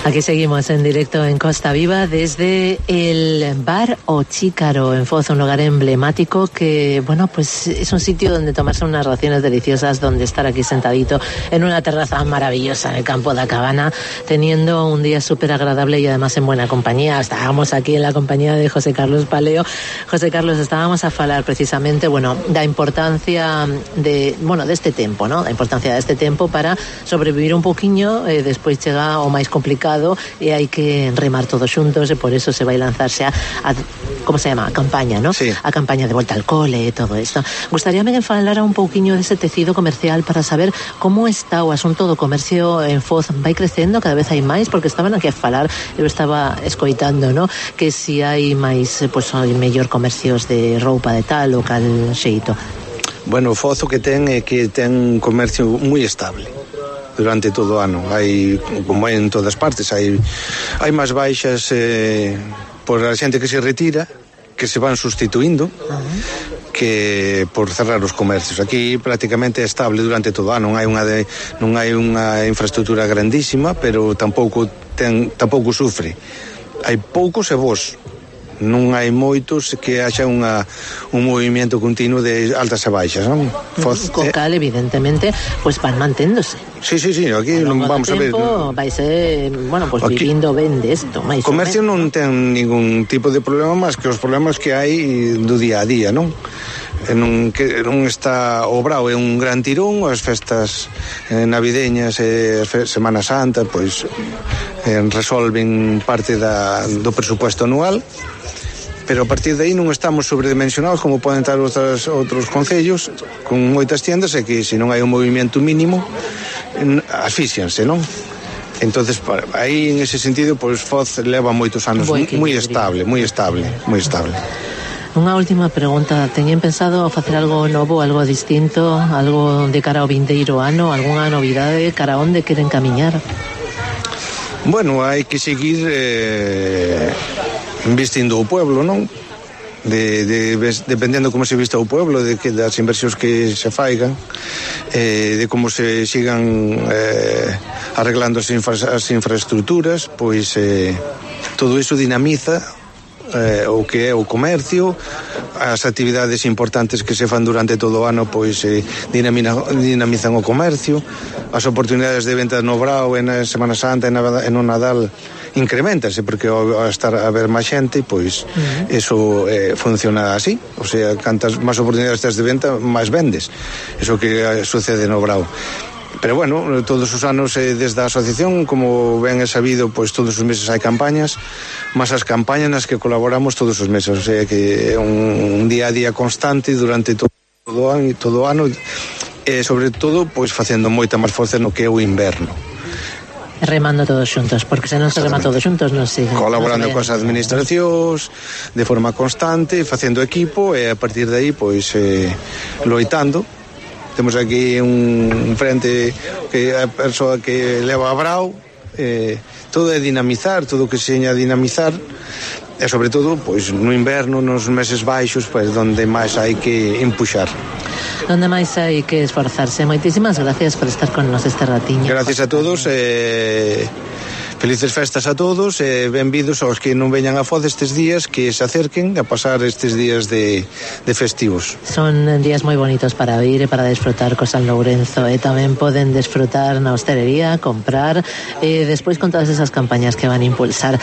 Aquí seguimos en directo en Costa Viva desde el bar O Chícaro en Foz, un lugar emblemático que, bueno, pues es un sitio donde tomarse unas raciones deliciosas, donde estar aquí sentadito en una terraza maravillosa en el campo da Cabana, teniendo un día súper agradable y además en buena compañía. Estábamos aquí en la compañía de José Carlos Paleo. José Carlos, estábamos a falar precisamente, bueno, da importancia de, bueno, de este tempo, ¿no? Da importancia de este tempo para sobrevivir un poquinho, eh, despois chega o máis complicado e hai que remar todos xuntos, e por eso se vai lanzarse a, a como se llama, a campaña, ¿no? Sí. A campaña de volta al cole e todo isto. Gustaríame que falara un pouquiño dese tecido comercial para saber como está o asunto do comercio en Foz. Vai crecendo, cada vez hai máis, porque estaban aquí a falar, eu estaba escoitando, ¿no? Que si hai máis, pues, hai mellor comercios de roupa de tal ou cal xeito. Bueno, o Foz o que ten é que ten un comercio moi estable durante todo o ano. Hai, como en todas partes, hai hai máis baixas eh, por a xente que se retira, que se van sustituindo, uh-huh, que por cerrar os comercios. Aquí prácticamente é estable durante todo o ano. Non hai unha de, non hai unha infraestructura grandísima, pero tampouco ten tampouco sufre. Hai poucos e bons. Non hai moitos que haxa unha, un movimento continuo de altas e baixas, non? Foz, co cal, evidentemente, pues van manténdose. Sí, sí, sí, aquí non vamos a ver. Vai ser, bueno, pues aquí, vivindo ben desto. O comercio non ten ningún tipo de problema máis que os problemas que hai do día a día, non? Non, que non está o Brao é un gran tirón, as festas eh, navideñas e eh, Semana Santa pois eh, resolven parte da, do presupuesto anual, pero a partir de aí non estamos sobredimensionados como poden estar outros, outros concellos con moitas tiendas, e que se non hai un movimento mínimo asfixianse, non? Entonces, aí en ese sentido, pois Foz leva moitos anos moi estable, moi estable, moi estable. Unha última pregunta, teñen pensado facer algo novo, algo distinto, algo de cara ao vindeiro ano, algunha novidade, cara onde queren camiñar? Bueno, hai que seguir eh, investindo o pueblo, non? De, de, dependendo como se vista o pueblo, de que das inversións que se faigan, eh, de como se sigan eh, arreglando as, infra, as infraestructuras, pois eh, todo iso dinamiza Eh, o que é o comercio, as actividades importantes que se fan durante todo o ano pois eh, dinamizan o comercio, as oportunidades de venta no Brao e na Semana Santa e, na, e no Nadal incrementanse, porque ao estar a ver máis xente pois uh-huh, eso eh, funciona así, o sea, cantas máis oportunidades tes de venta, máis vendes, eso que eh, sucede no Brao. Pero bueno, todos os anos eh, desde a asociación, como ben é sabido, pois todos os meses hai campañas, mas as campañas nas que colaboramos todos os meses, o sea que é un, un día a día constante durante todo o ano, todo o ano, e sobre todo pois facendo moita máis forza no que é o inverno. Remando todos xuntos, porque se non se rema todos xuntos non sigue. Colaborando coas administracións de forma constante, facendo equipo, e a partir de aí pois eh, loitando. Temos aquí un frente que é a persoa que leva a Brao, eh, todo é dinamizar, todo o que se seña dinamizar, e sobre todo pois no inverno, nos meses baixos, pois donde máis hai que empuxar. Donde máis hai que esforzarse. Moitísimas gracias por estar con nos este ratiño. Gracias a todos, eh, felices festas a todos, e eh, benvidos aos que non veñan a Foz estes días, que se acerquen a pasar estes días de, de festivos. Son días moi bonitos para ir e para desfrutar co San Lourenzo, e tamén poden desfrutar na hostelería, comprar, e despois con todas esas campañas que van a impulsar.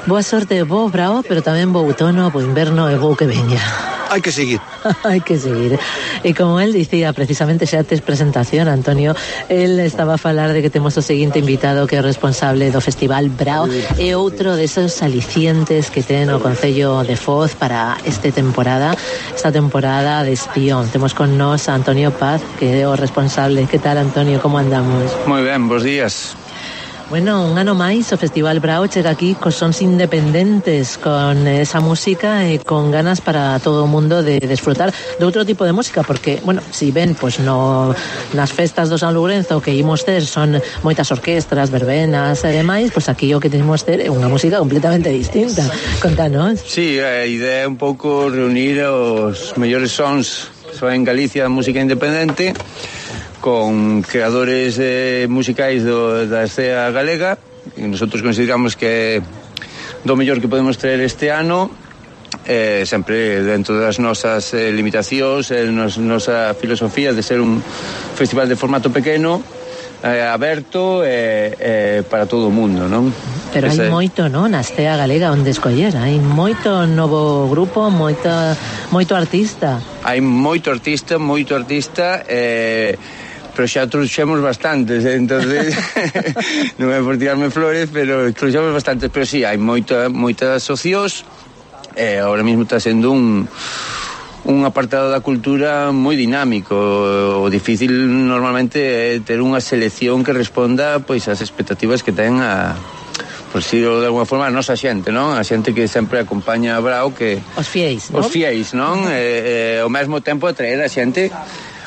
Boa sorte, bo Brao, pero tamén bo outono, bo inverno e bo que veña. hai que seguir. Hai que seguir. E como él dicía, precisamente xa tes presentación, Antonio, él estaba a falar de que temos o seguinte invitado que é o responsable do Festival Brao e outro desos alicientes que ten o Concello de Foz para esta temporada, esta temporada de Espión. Temos con nós a Antonio Paz, que é o responsable. Que tal, Antonio, como andamos? Moi ben, bons días. Bueno, un ano máis o Festival Brao chega aquí cos sons independentes, con esa música e con ganas para todo o mundo de desfrutar de outro tipo de música, porque, bueno, si ven, pois no, nas festas do San Lourenzo que imos ter son moitas orquestras, verbenas e demais, pois aquí o que temos ter é unha música completamente distinta. Contanos. Sí, a idea é un pouco reunir os mellores sons que son en Galicia da música independente con creadores eh, musicais do, da escena galega, e nosotros consideramos que do mellor que podemos traer este ano, eh, sempre dentro das nosas eh, limitacións, eh, nos, nosa filosofía de ser un festival de formato pequeno, eh, aberto e eh, eh, para todo o mundo, non? Pero hai Ese... moito, non, na escena galega onde escoller, hai moito novo grupo, moita, moito artista. Hai moito artista, moito artista, eh, pero xa trouxemos bastantes, eh? Entonces non é por tirarme flores, pero trouxemos bastantes, pero sí, hai moita, moitas socios, eh, ahora mismo está sendo un un apartado da cultura moi dinámico. O difícil normalmente é ter unha selección que responda pois ás expectativas que ten a, por si de alguma forma, a nosa xente, non? A xente que sempre acompaña a Brao, que os fiéis, non? Os fiéis, non? E, e ao mesmo tempo atraer a xente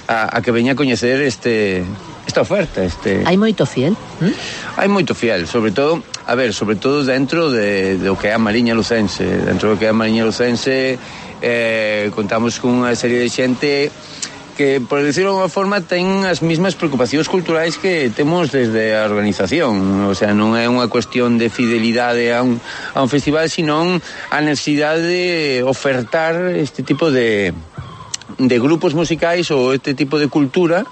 A, a que veña a coñecer este esta oferta, este. Hai moito fiel? ¿Mm? Hai moito fiel, sobre todo, a ver, sobre todo dentro de do que é a Mariña Lucense, dentro do que é a Mariña Lucense, eh, contamos con unha serie de xente que, por decirlo de alguma forma, ten as mesmas preocupacións culturais que temos desde a organización. O sea, non é unha cuestión de fidelidade a un, a un festival, sino a necesidade de ofertar este tipo de de grupos musicais ou este tipo de cultura,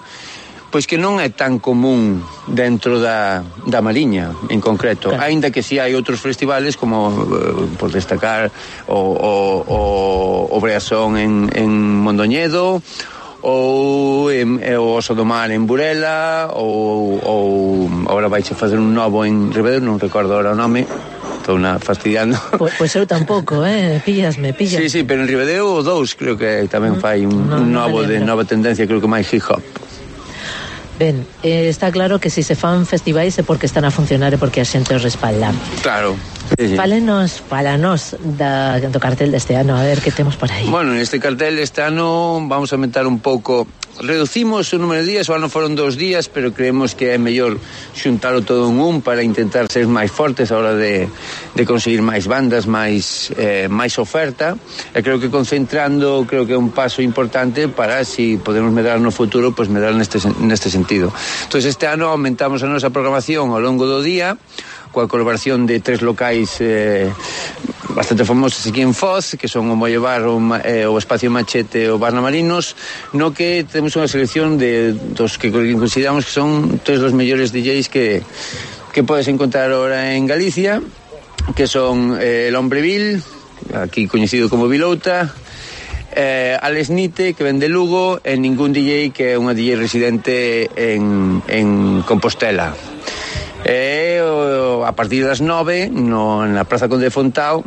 pois que non é tan común dentro da, da Mariña, en concreto. Claro. Ainda que si hai outros festivales, como, uh, por destacar, o, o, o, o Breasón en, en Mondoñedo, ou en, o Oso do Mar en Burela, ou, ou agora vais a fazer un novo en Ribadeo, non recordo agora o nome, estou na fastidiando. Pois pues eu tampouco, eh, píllasme, píllasme. Sí, sí, pero en Ribadeo o dous creo que tamén fai un, no, un novo no de nova tendencia, creo que máis hip hop. Ben, eh, está claro que se si se fan festivais é porque están a funcionar e porque a xente os respalda. Claro. Sí, sí. Fálenos, fálanos da, do cartel deste ano, a ver que temos por aí. Bueno, neste cartel este ano vamos a aumentar un pouco. Reducimos o número de días, o ano foron dos días, pero creemos que é mellor xuntalo todo en un para intentar ser máis fortes a hora de, de conseguir máis bandas, máis, eh, máis oferta. E creo que concentrando, creo que é un paso importante para, si podemos medrar no futuro, pois medrar neste, neste sentido. Entón, este ano aumentamos a nosa programación ao longo do día, coa colaboración de tres locais eh, bastante famosos aquí en Foz, que son o Molle Bar, o, eh, o Espacio Machete e o Barna Marinos, no que temos unha selección de dos que consideramos que son tres dos mellores D Js que, que podes encontrar ahora en Galicia, que son eh, el Hombreville, aquí coñecido como Vilouta, eh, Alex Nite, que ven de Lugo, e Ningún D J, que é unha D J residente en, en Compostela. E a partir das nove no, na Praza Conde de Fontao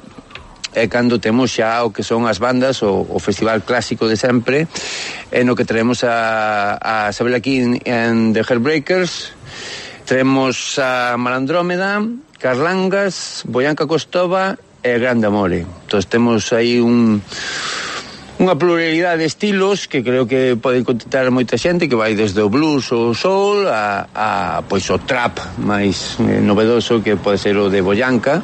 é cando temos xa o que son as bandas, o, o festival clásico de sempre, e no que traemos a, a Sabela King and the Heartbreakers, traemos a Malandrómeda, Carlangas, Boyanca Costova e Grande Amore. Entón temos aí un unha pluralidade de estilos que creo que pode contentar moita xente, que vai desde o blues ou o soul a, a pois o trap máis eh, novedoso, que pode ser o de Boyanca,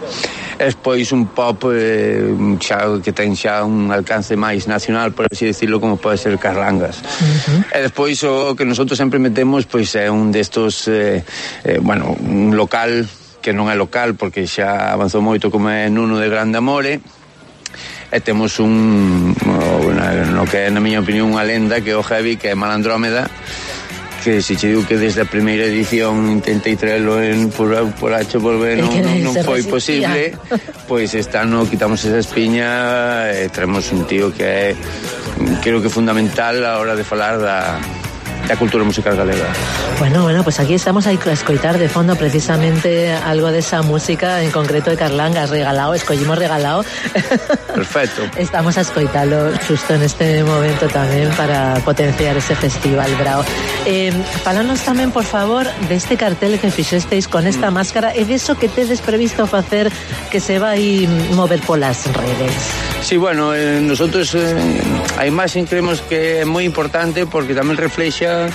e pois un pop eh, xa, que ten xa un alcance máis nacional, por así decirlo, como pode ser Carlangas. Uh-huh. E despois o que nosotros sempre metemos pois é un destos eh, eh, bueno, un local que non é local porque xa avanzou moito, como é Nuno de Grande Amore. E temos un, no que é, na miña opinión, unha lenda, que é o heavy, que é Malandrómeda, que se che digo que desde a primeira edición intentei traelo en por, por H por B non, non, non foi posible, pois este ano quitamos esa espiña e traemos un tío que é creo que fundamental a hora de falar da da cultura musical galega. Bueno, bueno, pues aquí estamos a escoitar de fondo precisamente algo de esa música, en concreto de Carlanga, has regalado, escollimos regalado. Perfecto. Estamos a escoitarlo justo en este momento tamén para potenciar ese festival Brao. Eh, falanos tamén, por favor, deste cartel que fixesteis con esta mm. máscara e de eso que tedes previsto facer que se vai mover polas redes. Sí, bueno, eh, nosotros eh, a imaxe creemos que é moi importante porque tamén reflexa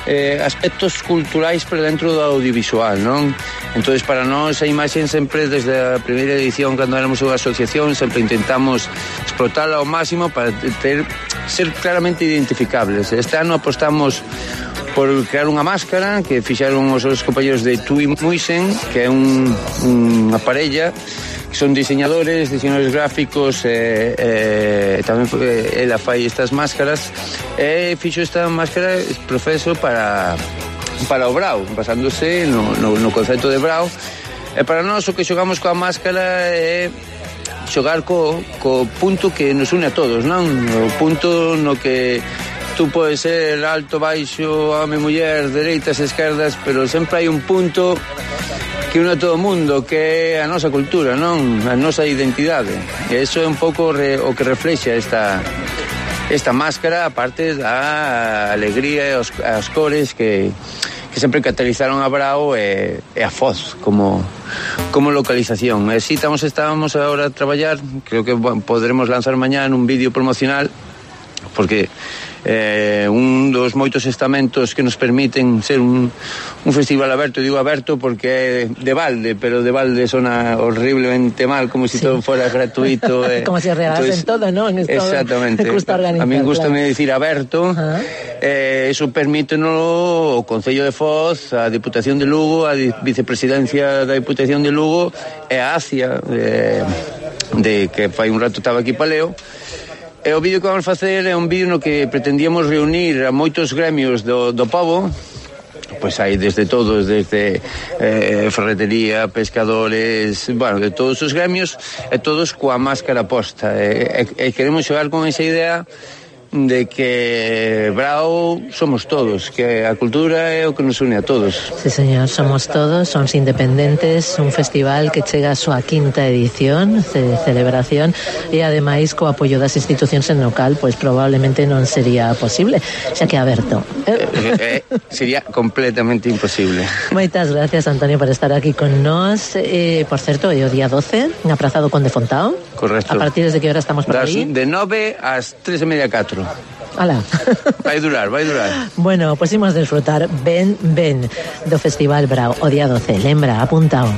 eh, aspectos culturais pero dentro do audiovisual, non? Entonces para nós a imaxe sempre desde a primeira edición cando éramos unha asociación sempre intentamos explotarla ao máximo para ter, ser claramente identificables. Este ano apostamos por crear unha máscara que fixaron os os compañeros de Tui Muisen, que é un, unha parella que son diseñadores, diseñadores gráficos e eh, eh, tamén eh, ela fai estas máscaras e fixo esta máscara profeso para para o Brao, basándose no, no, no concepto de Brao e para nós o que xogamos coa máscara é xogar co, co punto que nos une a todos, non? O punto no que tú podes ser alto, baixo, home, muller, dereitas, esquerdas, pero sempre hai un punto que une a todo o mundo, que é a nosa cultura, non? A nosa identidade. E iso é un pouco re, o que reflexa esta esta máscara, aparte da alegría e os, as cores que, que sempre catalizaron a Brao e, e a Foz como, como localización. E si estamos, estábamos agora a traballar, creo que bueno, podremos lanzar mañá un vídeo promocional, porque eh, un dos moitos estamentos que nos permiten ser un, un festival aberto, digo aberto porque é de balde, pero de balde sona horriblemente mal, como si sí. todo fuera gratuito. Eh. Como si regalasen todo, ¿no? En esto exactamente. A mí gustame decir aberto. Uh-huh. Eh, eso permítenos o Concello de Foz, a Diputación de Lugo, a Vicepresidencia da Diputación de Lugo e a ACIA, eh, de que fai un rato estaba aquí paleo. E o vídeo que vamos facer é un vídeo no que pretendíamos reunir a moitos gremios do, do pobo, pois hai desde todos, desde eh, ferretería, pescadores, bueno, de todos os gremios, e todos coa máscara posta. E, e, e queremos xogar con esa idea de que Brao somos todos, que a cultura é o que nos une a todos. Sí, señor, somos todos, somos independentes, un festival que chega a súa quinta edición de celebración e ademais co apoio das institucións en local, pois probablemente non sería posible, xa que aberto. Eh, eh, sería completamente imposible. Moitas gracias, Antonio, por estar aquí con nós. Eh, por certo, é o día doce, na Praza do Conde Fontao. Correcto. A partir de que hora estamos por das, aí? De nove ás tres e media, catro. Alá. Vai durar, vai durar. Bueno, pois imos desfrutar ben, ben do Festival Brao o día doce. Lembra, apuntao.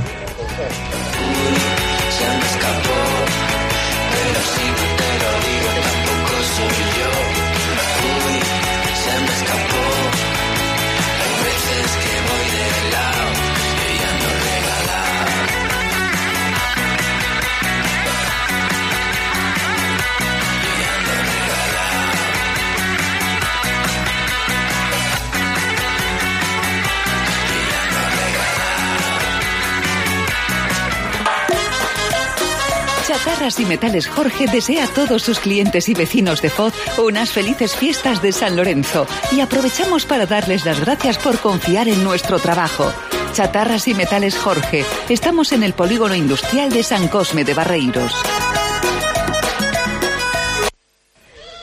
Chatarras y Metales Jorge desea a todos sus clientes y vecinos de Foz unas felices fiestas de San Lorenzo y aprovechamos para darles las gracias por confiar en nuestro trabajo. Chatarras y Metales Jorge. Estamos en el polígono industrial de San Cosme de Barreiros.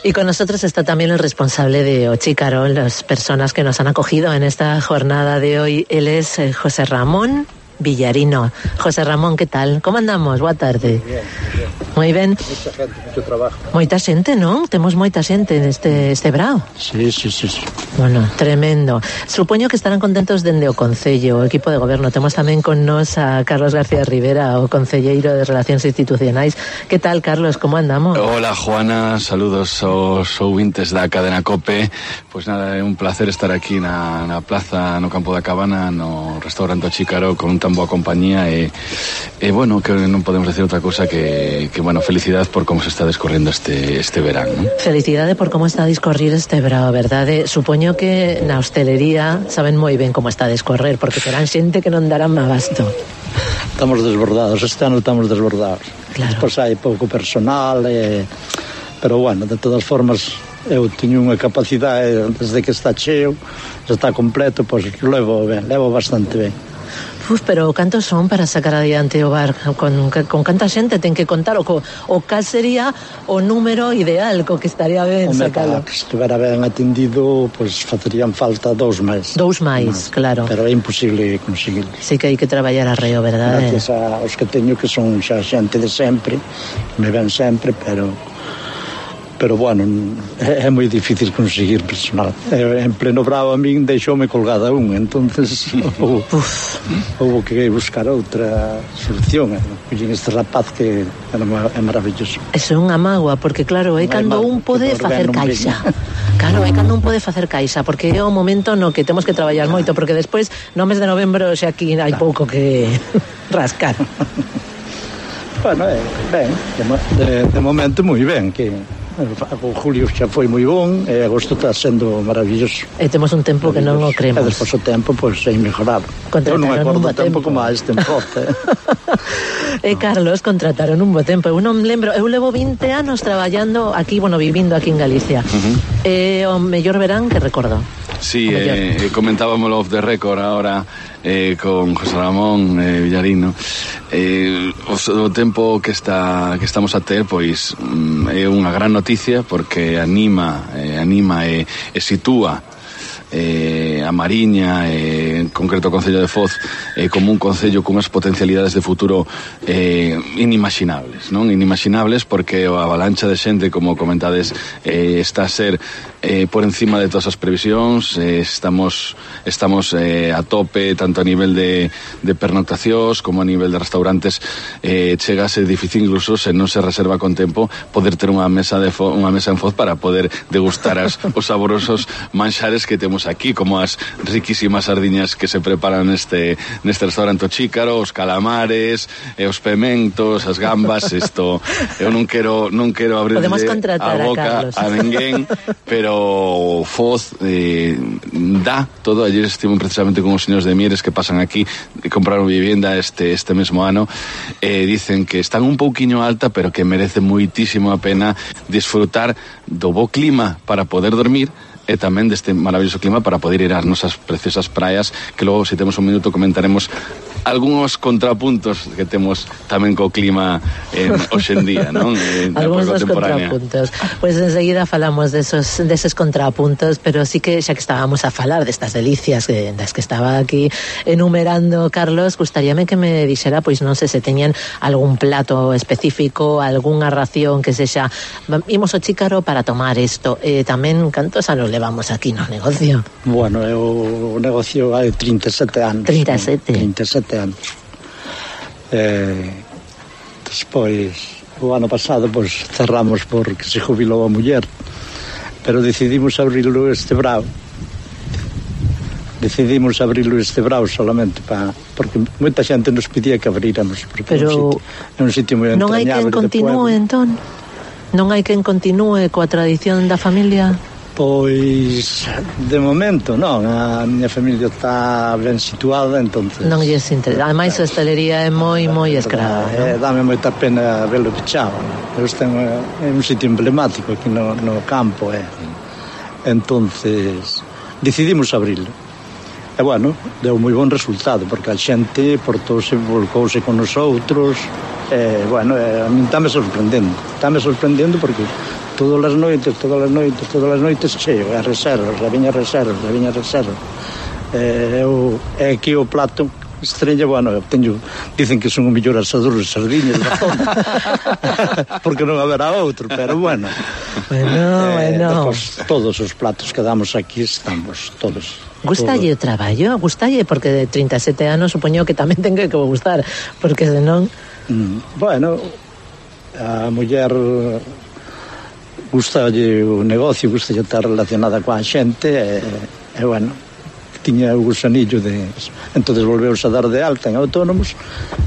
Y con nosotros está también el responsable de Ochicarol, las personas que nos han acogido en esta jornada de hoy. Él es José Ramón Villarino. José Ramón, ¿qué tal? ¿Cómo andamos? Boa tarde. Bien, bien. Moi ben. Moita gente, moito trabajo. Moita xente, non? Temos moita xente neste este Brao. Sí, sí, sí, sí. Bueno, tremendo. Supoño que estarán contentos dende o Concello, o equipo de goberno. Temos tamén con nos a Carlos García Rivera, o concelleiro de Relacións Institucionais. Que tal, Carlos? Como andamos? Hola, Juana. Saludos aos ouvintes da cadena COPE. Pois nada, é un placer estar aquí na, na plaza, no Campo da Cabana, no restaurante Chícaro, con un tan boa compañía e, e bueno, que non podemos decir outra cousa que, que bueno, felicidade por como se está descorrendo este, este verán, ¿no? Felicidade por como está a discorrer este verán, verdade? Supoño que na hostelería saben moi ben como está a discorrer, porque terán xente que non darán abasto. Estamos desbordados, este ano estamos desbordados. Claro. Pois hai pouco personal, eh, pero bueno, de todas formas, eu teño unha capacidade, desde que está cheo, está completo, pois levo ben, levo bastante ben. Uf, pero cantos son para sacar adiante o bar? Con, con canta xente ten que contar o, o cal sería o número ideal co que estaría ben sacalo? Que estivera ben atendido, pois facerían falta dous máis. Dous máis, claro. Pero é imposible conseguirlo. Sí que hai que traballar arreo, verdade? Gracias aos que teño, que son xa xente de sempre, me ven sempre, pero... pero bueno, é, é moi difícil conseguir personal. É, en pleno bravo a min deixoume colgada un, entonces houve, houve que buscar outra solución. Collín este rapaz que é maravilloso. Eso é unha mágoa, porque claro, é cando un pode facer caixa. Claro, é cando un pode facer caixa, porque é o momento no que temos que traballar moito, porque despois no mes de novembro xa aquí hai pouco que rascar. Bueno, é, ben, de, de momento moi ben, que o julio xa foi moi bon, e agosto está sendo maravilloso. E temos un tempo que non o cremos. E despois o tempo, pois, é inmejorable. Eu non me acordo o tempo como a este enfoque. E Carlos, contrataron un bo tempo. Eu non lembro, eu levo vinte anos traballando aquí, bueno, vivindo aquí en Galicia. Uh-huh. E o mellor verán que recordo. Sí, eh, comentábamoslo off the record ahora eh, con José Ramón eh, Villarino. Eh, o, o tempo que está que estamos a ter, pois mm, é unha gran noticia, porque anima eh, anima e, e sitúa eh, a Mariña, eh, en concreto o Concello de Foz, eh, como un concello con unhas potencialidades de futuro eh, inimaginables, non? Inimaginables porque a avalancha de xente, como comentades, eh, está a ser eh, por encima de todas as previsións. eh, estamos estamos eh, a tope, tanto a nivel de, de pernoctacións como a nivel de restaurantes. eh, chega a ser difícil, incluso se non se reserva con tempo, poder ter unha mesa de fo, unha mesa en Foz para poder degustar as, os saborosos manxares que temos aquí, como as riquísimas sardiñas que se preparan neste neste restaurante Chícaro, os calamares, e os pementos, as gambas. Isto eu non quero non quero abrirle a boca a, a ninguén, pero Foz eh, dá todo. Ayer estive precisamente con os señores de Mieres que pasan aquí e compraron vivienda este este mesmo ano, e eh, dicen que están un pouquiño alta, pero que merece moitísimo a pena disfrutar do bo clima para poder dormir, e tamén deste maravilloso clima para poder ir ás nosas preciosas praias, que logo, se temos un minuto, comentaremos algúns contrapuntos que temos tamén co clima eh, hoxendía, non? Eh, algúns dos contrapuntos. Pois pues enseguida falamos desos, deses contrapuntos, pero sí que xa que estábamos a falar destas delicias eh, das que estaba aquí enumerando Carlos, gustaríame que me dixera, pois non sei se teñen algún plato específico, algunha ración que sexa, imos ao Chícaro para tomar isto, e eh, tamén cantos anos levamos aquí no negocio? Bueno, eu, o negocio hai trinta e sete anos. trinta e sete? trinta e sete anos. Eh, despois, o ano pasado, pois, cerramos porque se jubilou a muller, pero decidimos abrirlo este brao. Decidimos abrirlo este brao solamente para, porque moita xente nos pedía que abríramos, porque pero é un sitio, un sitio moi non hai quen continúe, entón? Non hai quen continúe coa tradición da familia? Pois, de momento, non. A miña familia está ben situada, entonces... Non lles interesa. Ademais, a hostelería é moi, moi escrava, non? Dame moita pena verlo pechado. Este é un sitio emblemático aquí no, no campo, eh. Entonces, decidimos abrirlo. E, bueno, deu moi bon resultado, porque a xente portouse, volcouse con os outros. E, bueno, a min está me sorprendendo. Está me sorprendendo porque... todas as noites, todas as noites, todas as noites cheo, e reservas, viña reservas, viña reservas. Eh, eu, é aquí o plato estrella, bueno, eu teño, dicen que son o mellor asador de sardiñas da zona, porque non haberá outro, pero bueno. Bueno, eh, bueno. Pues, todos os platos que damos aquí estamos, todos. Gustalle o traballo? Gustalle? Porque de trinta e sete anos supoño que tamén ten que gustar, porque senón... Mm, bueno, a muller... gustalle o negocio, gustalle estar relacionada coa xente, e, e bueno, tiña o gusanillo de... Entonces volveuse a dar de alta en autónomos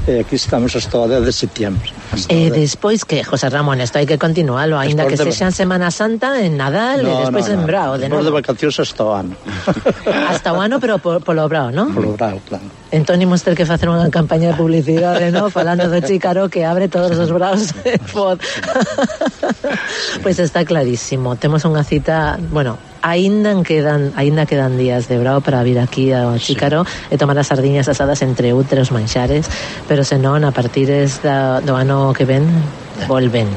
e aquí estamos hasta o dez de setembro. E despois que, José Ramón, isto hai que continualo, aínda que sexan Semana Santa en Nadal no, e despois no, no. en Brao de novo. De vacacións hasta o ano. Hasta o ano, pero por, polo Brao, non? Polo Brao, claro. Entón imos ter que facer unha campaña de publicidade, non? Falando do Chícaro que abre todos os braos de Foz. Pois está clarísimo. Temos unha cita, bueno, aínda quedan, aínda quedan días de Brao para vir aquí ao Chícaro sí. e tomar as sardiñas asadas entre outros manxares, pero senón a partir da, do ano que ven volven.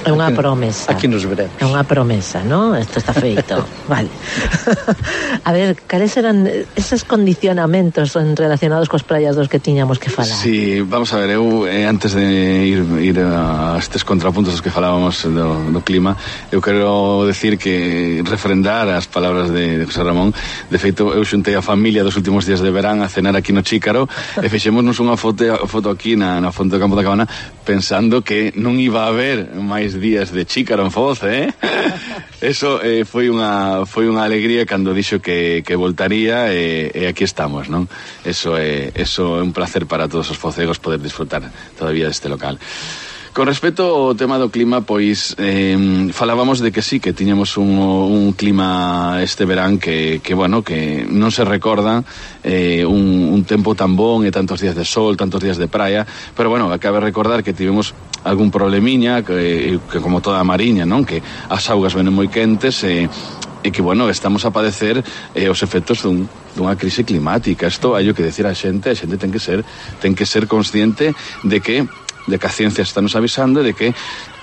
É unha promesa. Aquí nos veremos. É unha promesa, ¿no? Isto está feito. Vale. A ver, cales eran esos condicionamentos relacionados cos praias dos que tiñamos que falar? Sí, vamos a ver, eu eh, antes de ir, ir a estes contrapuntos dos que falábamos do, do clima, eu quero decir que refrendar as palabras de, de José Ramón. De feito, eu xuntei a familia dos últimos días de verán a cenar aquí no Chícaro e fixémonos unha foto, foto aquí na, na fonte do Campo da Cabana pensando que non iba a haber máis días de Chícaro en Foz, eh? Eso eh, foi unha foi unha alegría cando dixo que, que voltaría e, e aquí estamos, non? Eso é, eso é un placer para todos os focegos poder disfrutar todavía deste local. Con respecto ao tema do clima, pois eh, falábamos de que sí, que tiñamos un, un clima este verán que, que bueno, que non se recorda eh, un, un tempo tan bon e tantos días de sol, tantos días de praia, pero bueno, cabe recordar que tivemos algún problemiña que, que como toda a mariña, non? Que as augas venen moi quentes e e que, bueno, estamos a padecer eh, os efectos dun, dunha crise climática. Isto hai que decir a xente, a xente ten que ser ten que ser consciente de que de que a ciencia está nos avisando de que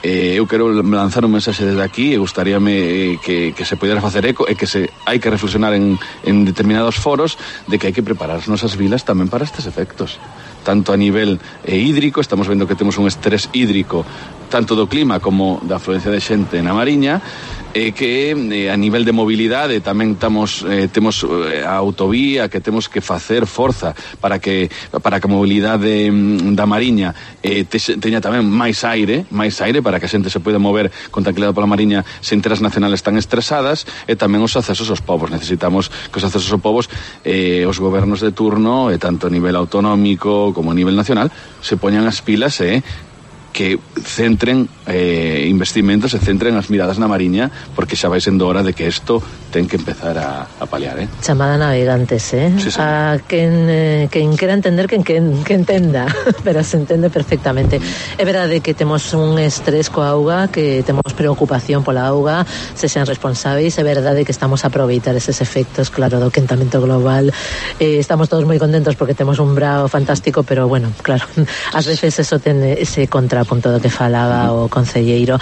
eh, eu quero lanzar un mensaxe desde aquí e gustaríame eh, que, que se pudera facer eco e que se hai que reflexionar en, en determinados foros de que hai que preparar as nosas vilas tamén para estes efectos, tanto a nivel eh, hídrico. Estamos vendo que temos un estrés hídrico tanto do clima como da afluencia de xente na Mariña, e que eh, a nivel de mobilidade tamén tamos, eh, temos eh, a autovía que temos que facer forza para que para que a mobilidade da Mariña eh, te, teña tamén máis aire máis aire para que a xente se poida mover con tranquilidade pola Mariña sen ter as nacionales tan estresadas, e tamén os accesos aos povos. Necesitamos que os accesos aos povos eh, os gobernos de turno, e tanto a nivel autonómico como a nivel nacional, se poñan as pilas e eh, que centren eh, investimentos e centren as miradas na Mariña, porque xa vai sendo hora de que isto ten que empezar a, a paliar, eh? Chamada navegantes, eh? Sí, sí. A quen, eh, quen quera entender, quen, quen, que entenda, pero se entende perfectamente. É verdade que temos un estrés coa auga, que temos preocupación pola auga, se sean responsáveis, é verdade que estamos a aproveitar eses efectos, claro, do quentamento global. Eh, estamos todos moi contentos porque temos un Brao fantástico, pero bueno, claro, ás veces eso ten ese contrapunto do que falaba o concelleiro.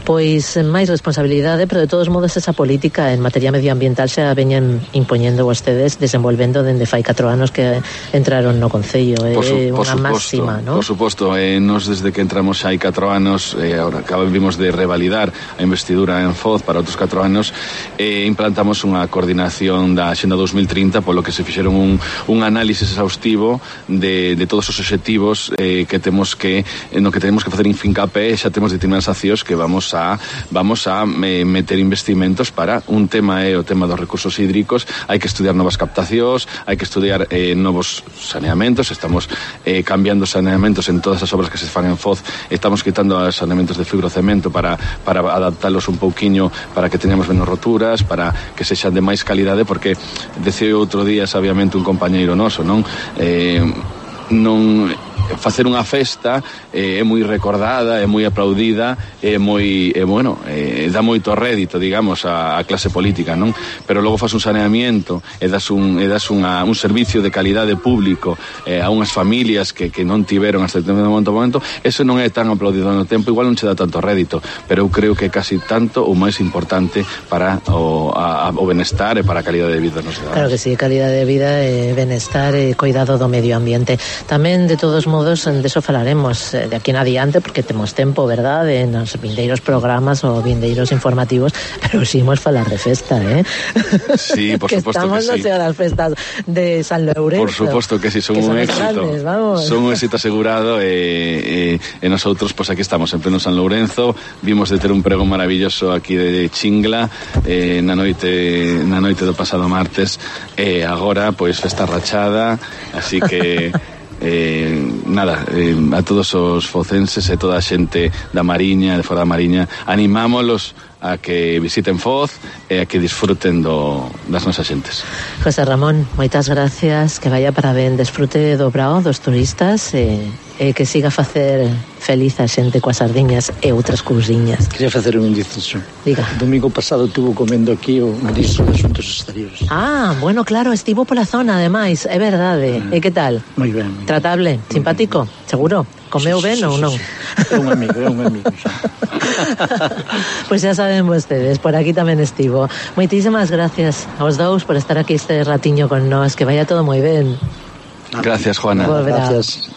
Pois máis responsabilidade, pero de todos modos esa política en materia medioambiental xa veñen impoñendo vostedes, desenvolvendo dende fai catro anos que entraron no concello. É eh, unha máxima, ¿no? Por suposto, eh, nos desde que entramos xa hai catro anos, eh, ahora acabamos de revalidar a investidura en Foz para outros catro anos, eh, implantamos unha coordinación da Axenda dos mil trinta, polo que se fixeron un, un análisis exhaustivo de, de todos os obxectivos eh, que temos que, no que temos que facer fincapé, xa temos determinadas accións que vamos a vamos a eh, meter investimentos para un tema é eh, o tema dos recursos hídricos. Hai que estudiar novas captacións, hai que estudiar eh, novos saneamentos. Estamos eh, cambiando saneamentos en todas as obras que se fan en Foz. Estamos quitando os saneamentos de fibrocemento para, para adaptalos un pouquiño para que teñamos menos roturas, para que sexan de máis calidade, porque decía outro día sabiamente un compañeiro noso, non? Eh, non facer unha festa eh, é moi recordada, é moi aplaudida, é moi, é, bueno, eh, dá moito rédito, digamos, a, a clase política, non? Pero logo faz un saneamiento e das un, e das unha, un servicio de calidade público eh, a unhas familias que, que non tiveron hasta o momento, momento, eso non é tan aplaudido no tempo, igual non che dá tanto rédito, pero eu creo que é casi tanto ou máis importante para o, a, o benestar e para a calidade de vida nos cidadanos. Claro que sí, calidade de vida, eh, benestar e cuidado do medio ambiente. Tamén, de todos modos, modos, deso falaremos de aquí en adiante, porque temos tempo, verdad, en os vindeiros programas ou vindeiros informativos, pero si imos falar de festa, eh? Sí, por que suposto estamos que sí. no sea das festas de San Lourenço. Por suposto que sí, son que un son éxito. Grandes, vamos. Son un éxito asegurado e, e, e nosotros, pois pues, aquí estamos en pleno San Lourenço. Vimos de ter un pregón maravilloso aquí de Chingla eh, na noite na noite do pasado martes, e agora, pois, festa rachada, así que eh, nada, eh, a todos os focenses e toda a xente da Mariña, de fora da Mariña, animámolos a que visiten Foz e a que disfruten do, das nosas xentes. José Ramón, moitas gracias, que vaya para ben, desfrute do brao dos turistas e, e que siga a facer feliz a xente coas sardiñas e outras cousiñas. Quería facer un inciso. Diga. O domingo pasado estuvo comendo aquí o ministro de Asuntos Exteriores. Ah, bueno, claro, estivo pola zona, ademais, é verdade. Mm. E que tal? Moi ben. Moi Tratable, ben. simpático, seguro? Comeu sí, ben sí, ou sí, non? Sí. É un amigo, é un amigo. Pois pues xa saben vostedes, por aquí tamén estivo. Moitísimas gracias aos dous por estar aquí este ratiño con nós, que vaya todo moi ben. Gracias, Juana. Volverá. Gracias.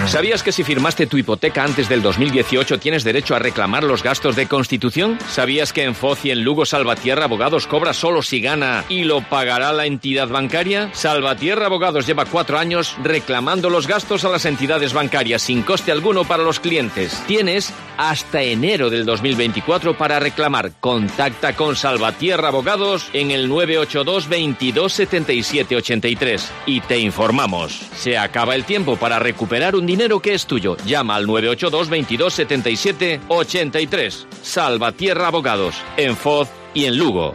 ¿Sabías que si firmaste tu hipoteca antes del dos mil dieciocho tienes derecho a reclamar los gastos de constitución? ¿Sabías que en Foz y en Lugo Salvatierra Abogados cobra solo si gana y lo pagará la entidad bancaria? Salvatierra Abogados lleva cuatro años reclamando los gastos a las entidades bancarias sin coste alguno para los clientes. Tienes hasta enero del dos mil veinticuatro para reclamar. Contacta con Salvatierra Abogados en el nueve ocho dos, veintidós, setenta y siete, ochenta y tres y te informamos. Se acaba el tiempo para recuperar un dinero que es tuyo. Llama al nueve ocho dos, veintidós, setenta y siete, ochenta y tres. Salvatierra Abogados, en Foz y en Lugo.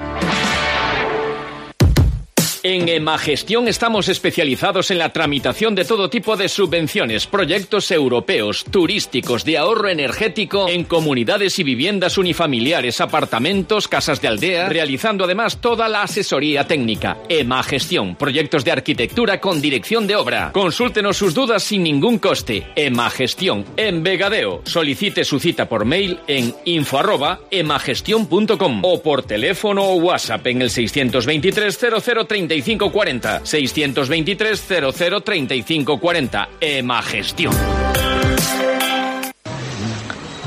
En Emagestión estamos especializados en la tramitación de todo tipo de subvenciones, proyectos europeos, turísticos, de ahorro energético en comunidades y viviendas unifamiliares, apartamentos, casas de aldea, realizando además toda la asesoría técnica. Emagestión, proyectos de arquitectura con dirección de obra. Consúltenos sus dudas sin ningún coste. Emagestión, en Vegadeo. Solicite su cita por mail en info arroba emagestion punto com o por teléfono o WhatsApp en el seiscientos veintitrés, cero cero, treinta y cinco cuarenta, seiscientos veintitrés, cero cero, treinta y cinco cuarenta. Emagestión.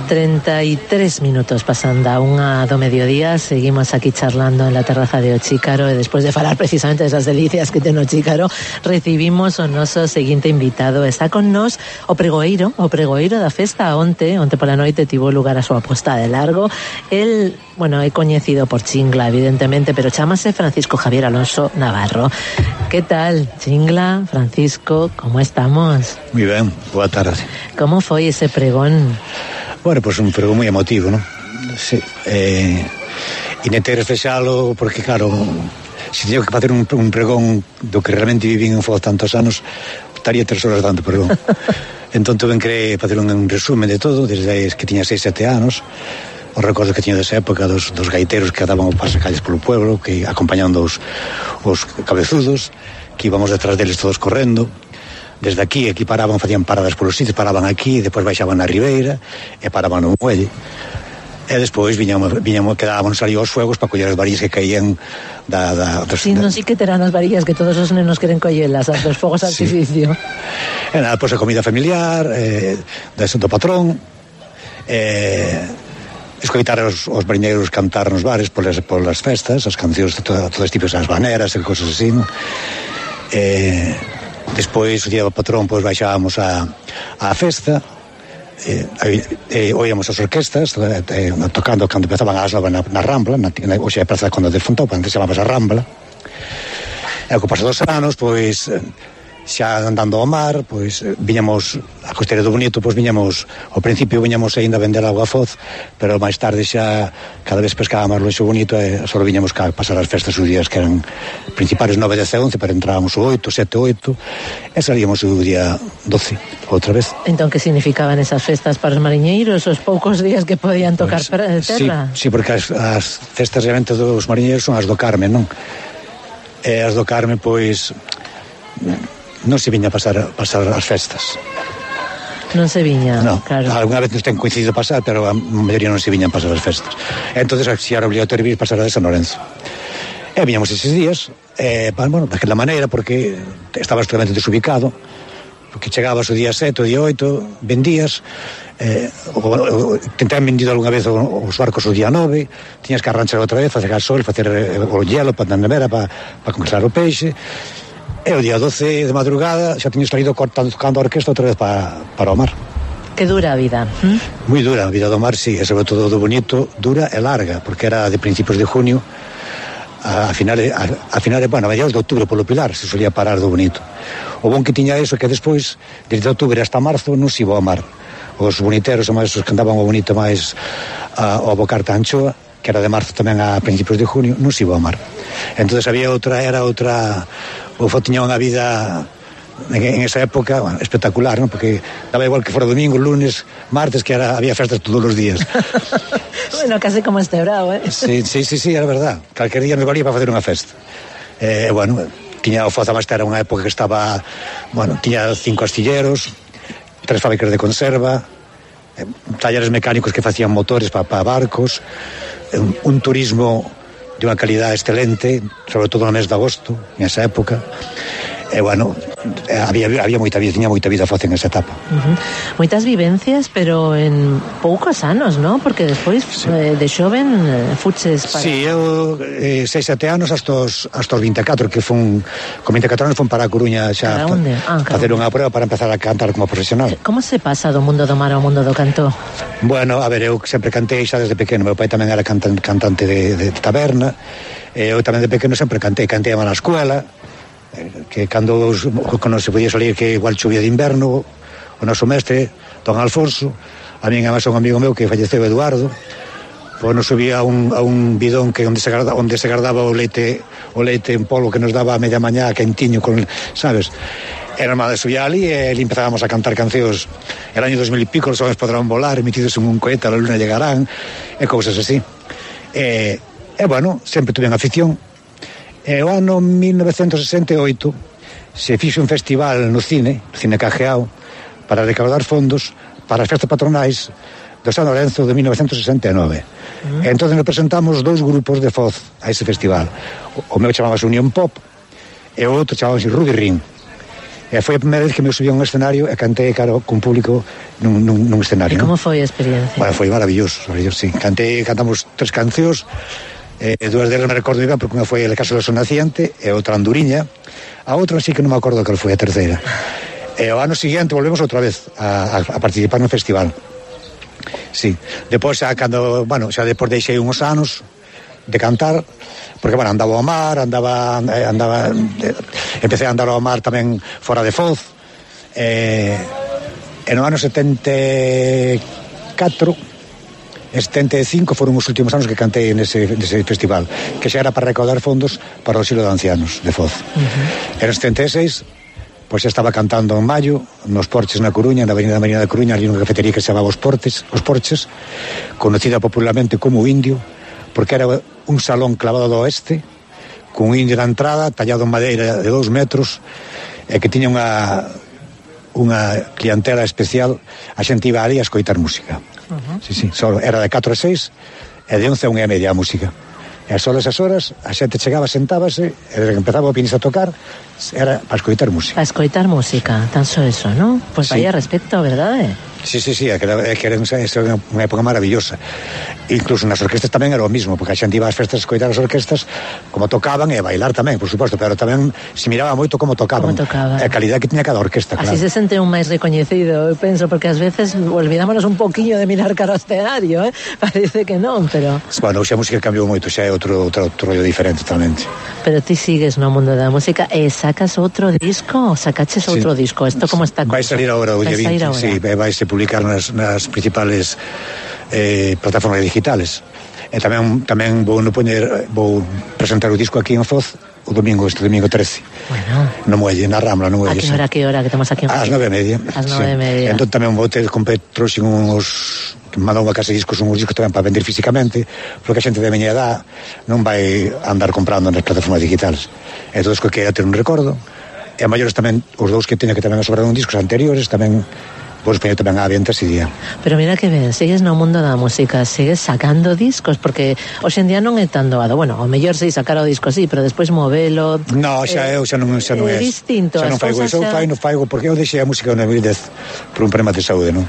treinta y tres minutos pasando a unha do mediodía. Seguimos aquí charlando en la terraza de O Chícaro e despois de falar precisamente desas delicias que ten O Chícaro, recibimos o noso seguinte invitado. Está con nós o pregoeiro, o pregoeiro da festa. Onte, onte pola noite tivo lugar a súa posta de largo. El, bueno, é coñecido por Chingla, evidentemente, pero chámase Francisco Javier Alonso Navarro. Que tal, Chingla, Francisco, como estamos? Moi ben, boa tarde. Como foi ese pregón? Bueno, pois pues un pregón moi emotivo, non? Sí, eh, intentei reflexalo porque, claro, se teño que facer un, un pregón do que realmente vivín en Foz tantos anos, estaría tres horas dando pregón. Entón tuve que facer un, un resumen de todo, desde que tiña seis, sete anos, os recordos que tiña desa época dos, dos gaiteros que daban os pasacalles polo pueblo, que acompañando os, os cabezudos, que íbamos detrás deles todos correndo. Desde aquí, aquí paraban, facían paradas polos sitios, paraban aquí, depois baixaban na ribeira e paraban no muelle. E despois viñamos, viñamos, quedábamos ali aos fuegos para coller as varillas que caían da... da dos, sí, non sei que terán as varillas que todos os nenos queren collelas, as dos fogos sí. artificio. E nada, pois a comida familiar, eh, do patrón, eh, escoitar os, os mariñeiros cantar nos bares polas, polas festas, as cancións de todas todo tipos, as baneras e cosas así, non? Eh... Despois, o día do patrón, pois baixábamos a, a festa, eh, eh, oíamos as orquestas eh, tocando cando empezaban as novas na, na Rambla, na, na, oxe, a praza cando de Fontoupa, antes chamábamos a Rambla. E co paso dos anos, pois, xa andando ao mar, pois, viñamos a Costeira do Bonito, pois viñamos, ao principio viñamos ainda a vender auga a Foz, pero máis tarde xa cada vez pescaba máis longe o Bonito e só viñamos ca pasar as festas os días que eran principales nove, dez e once, pero entrábamos o oito, sete, oito e salíamos o día doce outra vez. Entón, que significaban esas festas para os mariñeiros, os poucos días que podían tocar pues, terra? Sí, sí, porque as, as festas realmente dos mariñeiros son as do Carme, non? E as do Carme, pois non se viña a pasar, pasar as festas. Non se viña, no, claro. Alguna vez nos ten coincidido pasar, pero a maioría non se viñan pasar as festas. Entón, si era obligatorio vir pasar a de San Lorenzo. E viñamos eses días, eh, bueno, daquela maneira, porque estaba totalmente desubicado, porque chegabas o día sete, o día oito, vendías, eh, o, o, tentaban vendido algunha vez os barcos o día nove, tiñas que arranchar outra vez, facer gasol, facer o hielo para a nevera, para, para congelar o peixe, e o día doce de madrugada xa tiñas salido cortando, tocando a orquesta outra vez para, para o mar. Que dura a vida. ¿Mm? Moi dura, a vida do mar, sí, e sobre todo do bonito, dura e larga, porque era de principios de junio a, a finales, a, a finales, bueno, a mediados de outubro polo Pilar, se solía parar do bonito. O bon que tiña eso que despois, desde outubro hasta marzo, non se iba ao mar. Os boniteros, máis os que andaban o bonito máis a, ao Bocarta Anchoa, que era de marzo tamén a principios de junio, non se iba ao mar. Entonces había outra, era outra, o Foz tiña unha vida en, en esa época, bueno, espectacular, ¿no? Porque daba igual que fora domingo, lunes, martes, que era, había festas todos os días. Bueno, casi como este bravo, ¿eh? Sí, sí, sí, sí, era verdad. Calquer día nos valía para facer unha festa. Eh, bueno, tiña o Foz Amasta, era unha época que estaba, bueno, tiña cinco astilleros, tres fábricas de conserva, eh, talleres mecánicos que facían motores para pa barcos, un, un turismo de unha calidad excelente, sobre todo no mes de agosto, en esa época. E, bueno, había, había moita vida, tiña moita vida Foz en esa etapa. Uh-huh. Moitas vivencias, pero en poucos anos, ¿no? Porque despois, sí. eh, de xoven, eh, fuches para... Sí, eu, eh, seis, sete anos hasta os, hasta os vinte e catro, que fun, con vinte e catro anos fun para a Coruña xa pa, ah, facer unha prueba para empezar a cantar como profesional. Como se pasa do mundo do mar ao mundo do canto? Bueno, a ver, eu sempre cantei xa desde pequeno, meu pai tamén era cantan, cantante de, de taberna, e eu tamén de pequeno sempre cantei, cantei na escuela, que cando, cando se podía salir que igual chovía de inverno, o noso mestre, don Alfonso, a mí además un amigo meu que falleceu, Eduardo, pois nos subía a un, a un bidón que onde se, guarda, onde se guardaba o leite o leite en polvo que nos daba a media mañá quentiño, con, sabes? Era normal de subir ali e empezábamos a cantar cancións. El año dos mil y pico, los hombres podrán volar, emitidos en un cohete, a la luna llegarán, e cousas así. E, e bueno, sempre tuve en afición. E o ano mil novecientos sesenta e oito se fixo un festival no cine, no Cine Cajeao, para recaudar fondos para as festas patronais do San Lorenzo de mil novecientos sesenta e nove. Mm. E entón nos presentamos dous grupos de Foz a ese festival. O, o meu chamábase Unión Pop e o outro chamábase Ruby Ring. E foi a primeira vez que me subí a un escenario e cantei cara con público nun, nun, nun escenario. E como foi a experiencia? Bueno, foi maravilloso, maravilloso, sí. Cantei, cantamos tres cancións. Eh, dúas delas me recordo ben, porque unha foi El caso do son naciente e outra Anduriña, a outra sí que non me acordo cal foi a terceira. E o ano seguinte volvemos outra vez a, a, a participar no festival. Sí, depois xa cando, bueno, xa depois deixei uns anos de cantar, porque bueno, andaba ao mar, andaba andaba eh, empecé a andar ao mar tamén fora de Foz. Eh, e no ano setenta e catro En setenta e cinco foron os últimos anos que cantei nese, nese festival, que xa era para recaudar fondos para o asilo de ancianos de Foz. Uh-huh. En setenta e seis, pois xa estaba cantando en maio, nos Porches na Coruña, na Avenida Marina da Coruña, ali nunha cafetería que se chamaba Os Portes, Os Porches, conocida popularmente como Indio, porque era un salón clavado do oeste, cun indio na entrada, tallado en madeira de dous metros, e que tiña unha unha clientela especial, a xente iba ali a escoitar música. Uh-huh. Sí, sí, solo era de catro a seis e de once a unha e media a música. E só esas horas a xente chegaba, sentábase, e empezaba o pianista a tocar, era para escoitar música. Para escoitar música, tan só eso, ¿no? Pues sí. Vaya respecto, verdade? Sí, sí, sí, é que era unha época maravillosa. Incluso nas orquestas tamén era o mismo, porque a xente iba ás festas a escoitar as orquestas como tocaban e a bailar tamén, por suposto, pero tamén se miraba moito como tocaban. Como tocaban. A calidad que tiña cada orquesta, claro. Así se sente un máis recoñecido, eu penso, porque ás veces olvidámonos un poquinho de mirar cara ao escenario, eh? Parece que non, pero... Bueno, xa a música cambiou moito, xa é outro, outro, outro rollo diferente totalmente. Pero ti sigues no mundo da música e sacas outro disco, sacaches outro sí. disco, isto como está... Vai salir agora o día vinte, sí, vai se publicar nas, nas principales eh, plataformas digitales. E tamén tamén vou no poñer, vou presentar o disco aquí en Foz o domingo, este domingo trece. Bueno. No Muelle, na Rambla, no Muelle. A que hora, que hora que temos aquí en Foz? Ás nove e media. Ás nove e media. Entón tamén vou ter compre trouxen uns que me mandou unha casa de discos, uns discos tamén para vender físicamente, porque a xente de miña edad non vai andar comprando nas plataformas digitales. Entón, que queira ter un recordo. E a maiores tamén, os dous que teña que tamén a sobrar un discos anteriores, tamén pois poño tamén á venta ese día. Pero mira que ben, sigues no mundo da música, sigues sacando discos, porque hoxe en día non é tan doado. Bueno, o mellor sei sacar o disco, sí, pero despois movelo... No, xa eh, eu xa non, xa non é distinto, xa non faigo iso, eu fai, non faigo, porque eu deixei a música no dos mil dez por un problema de saúde, non?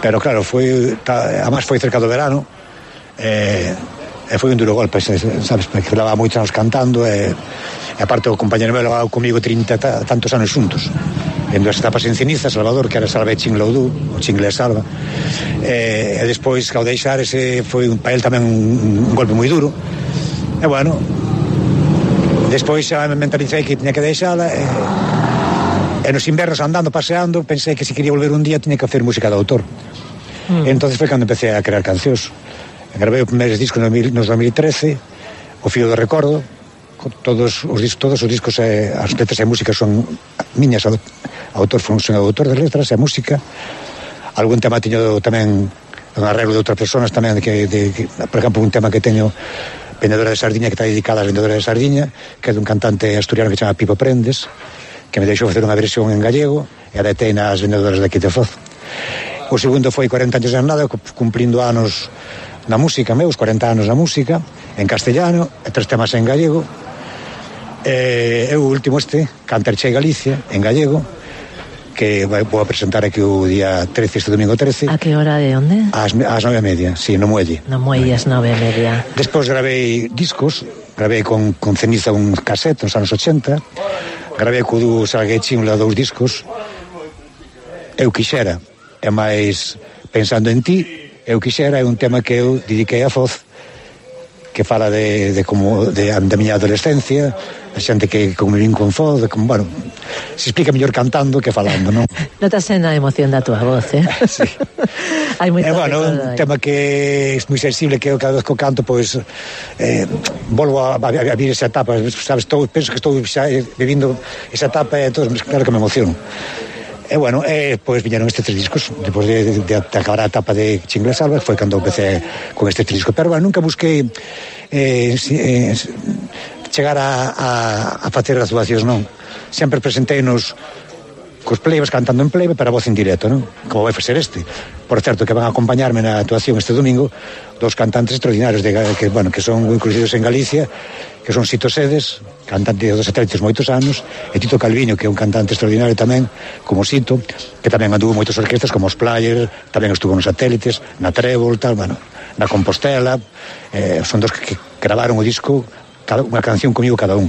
Pero claro, foi, además foi cerca do verano, eh, e foi un duro golpe, sabes, porque levaba moitos anos cantando, e, e aparte o compañero meu levaba comigo trinta ta, tantos anos xuntos, vendo as etapas en ceniza, Salvador, que era Salva e Chinglaudú, o Chingle e Salva, e, e despois, ao deixar, ese foi para el tamén un, un golpe moi duro, e bueno, despois xa me mentalicei que tiña que deixala, e, e nos invernos andando, paseando, pensei que se quería volver un día tiña que hacer música de autor. Mm. E entonces foi cando empecé a crear cancións. Gravei o primeiro disco no dos mil trece, O Fío do Recordo, todos os discos, todos os discos e as letras e música son miñas, autor, son autor de letras e música. Algún tema teño tamén un arreglo de outras persoas tamén, que, de, que, por exemplo, un tema que teño, Vendedora de Sardiña, que está dedicada a Vendedora de Sardiña, que é dun cantante asturiano que se chama Pipo Prendes, que me deixou facer unha versión en gallego e adaptei nas vendedoras de aquí de Foz. O segundo foi corenta anos de nada, cumplindo anos na música, meus corenta anos na música, en castellano, e tres temas en gallego. E o último este, Canterche Galicia, en gallego, que vou a presentar aquí o día trece, este domingo trece. A que hora de onde? Ás, ás nove e media, sí, no Muelle. No Muelle, ás nove e media. Despois gravei discos, gravei con, con Ceniza un cassette nos anos ochenta, gravei co dúo Salguei Chingla dous discos, Eu Quixera, e máis Pensando en Ti, Eu Quixera é un tema que eu dediquei a Foz, que fala de, de como de, da miña adolescencia, a xente que como vin con Foz, de como, bueno, se explica mellor cantando que falando, non? Notase na emoción da túa voz, eh? Sí. Hai moito. É, bueno, un tema que é moi sensible, que eu cada vez que canto, pois, eh, volvo a, a, a vir esa etapa, sabes, todo, penso que estou xa vivindo esa etapa e todo, claro que me emociono. E bueno, e pois viñeron estes tres discos depois de, de, de acabar a etapa de Chingle Salva, foi cando empecé con este tres discos, pero bueno, nunca busquei eh, eh, chegar a, a, a facer actuacións, non, sempre presentei-nos cos plebes cantando en plebe para voz en directo, non? Como vai facer este. Por certo, que van a acompañarme na actuación este domingo dos cantantes extraordinarios de, que, bueno, que son moi conhecidos en Galicia, que son Sito Sedes, cantante dos satélites moitos anos, e Tito Calviño, que é un cantante extraordinario tamén, como Sito, que tamén anduvo moitas orquestas como os Players, tamén estuvo nos satélites, na Trébol, tal, bueno, na Compostela, eh, son dos que, que gravaron o disco, cada, unha canción comigo cada un.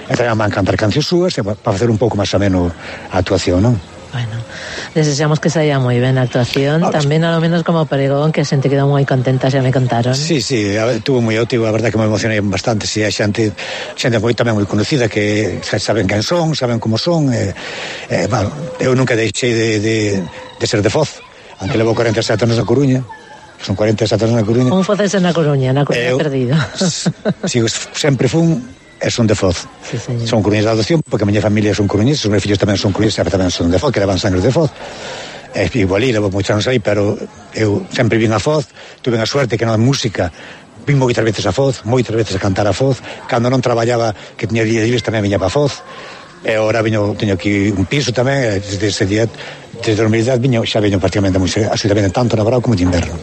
E tamén van cantar cancións súas para facer un pouco máis ameno a actuación, non? Bueno, desexamos que saia moi ben a actuación, ah, tamén a lo menos como pregón, que a xente quedou moi contenta, xa me contaron. Sí, sí, tuvo moi ótimo, a verdade que me emocionei bastante, si, a xente, xente moi tamén moi conocida, que saben quen son, saben como son, e, e bueno, eu nunca deixei de, de, de ser de Foz, aunque levo corenta e sete anos na Coruña, son corenta e sete anos na Coruña. Un fozese na Coruña, na Coruña eu, perdido. Sigo, sempre fun e son de Foz. Sí, son coruñeses de adopción, porque a miña familia son coruñeses, os meus fillos tamén son coruñeses, tamén son de Foz, que levan sangre de Foz. E igual aí, levo moitos anos aí, pero eu sempre vin a Foz, tuve a suerte que na música vin moitas veces a Foz, moitas veces a cantar a Foz, cando non traballaba, que tiña día libres, tamén viña para Foz, e agora viño, teño aquí un piso tamén, desde ese día, desde a normalidade, viño, xa viño prácticamente absolutamente tanto na verão como de inverno.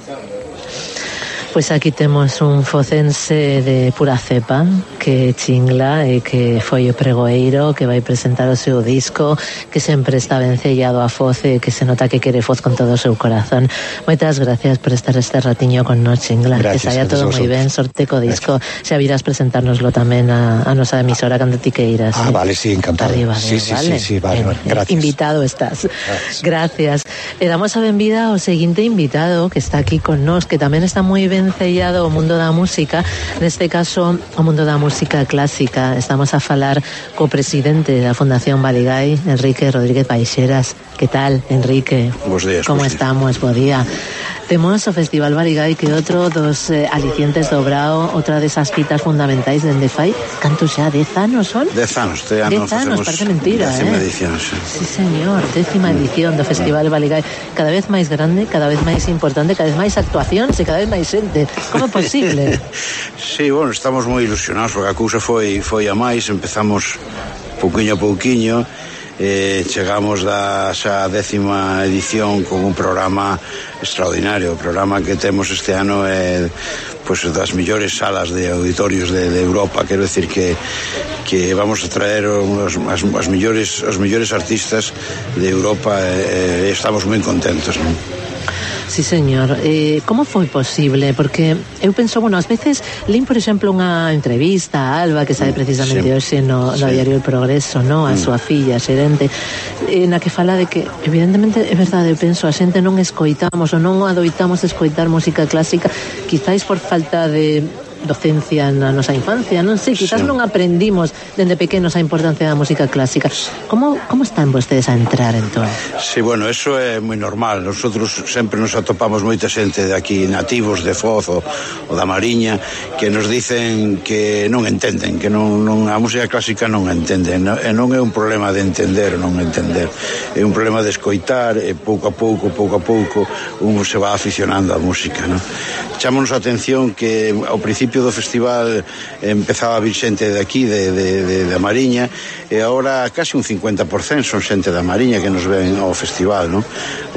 Pois aquí temos un focense de pura cepa que chingla e que foi o pregoeiro, que vai presentar o seu disco, que sempre está vencellado a Foz e que se nota que quere Foz con todo o seu corazón. Moitas gracias por estar este ratiño con nos, Chingla. Gracias, que saia todo moi ben, sorte co disco. Xa virás presentárnoslo tamén a, a nosa emisora cando ti queiras. Ah, eh? Vale, sí, encantado. Arriba, sí, de, sí, vale? sí, sí, vale, vale. Gracias. Invitado estás. Gracias. Gracias. E damos a benvida ao seguinte invitado que está aquí con nos, que tamén está moi ben sellado o mundo da música, neste caso o mundo da música clásica. Estamos a falar co presidente da Fundación Baligái, Enrique Rodríguez Baixeras. Que tal, Enrique? Bos días. Como bos estamos? Bo día. Temos o Festival Baligái, que outro dos eh, alicientes do Brao, outra desas fitas fundamentais dende fai, cantos xa, dez anos son? Dez anos, este ano dez anos, parece mentira, décima eh? edición, sí. Sí, señor, décima edición do Festival Baligái, cada vez máis grande, cada vez máis importante, cada vez máis actuacións e cada vez máis xente. Como é posible? Sí, bueno, estamos moi ilusionados porque a cousa foi foi a máis, empezamos pouquiño a pouquiño eh, chegamos da xa décima edición con un programa extraordinario. O programa que temos este ano é pues, das millores salas de auditorios de, de Europa. Quero decir que que vamos a traer os, as, as millores, os millores artistas de Europa e eh, estamos moi contentos, non? Sí, señor. Eh, como foi posible? Porque eu penso, bueno, ás veces lín, por exemplo, unha entrevista a Alba, que sabe precisamente sí. hoxe no, no sí. diario El Progreso, no? A mm. súa filla, xerente, eh, na que fala de que, evidentemente, é verdade, eu penso, a xente non escoitamos ou non adoitamos escoitar música clásica, quizáis por falta de docencia na nosa infancia, non sei, quizás sí. non aprendimos dende pequenos a importancia da música clásica. Como, como están vostedes a entrar, entón? Sí, bueno, eso é moi normal. Nosotros sempre nos atopamos moita xente de aquí, nativos de Foz ou, ou da Mariña, que nos dicen que non entenden, que non, non a música clásica non entenden, e non é un problema de entender ou non entender, é un problema de escoitar, e pouco a pouco, pouco a pouco, un se va aficionando á música, non? Chámonos a atención que ao principio do festival empezaba a vir xente de aquí, de, de, de, de Mariña, e agora casi un cincuenta por cento son xente da Mariña que nos ven ao festival, non?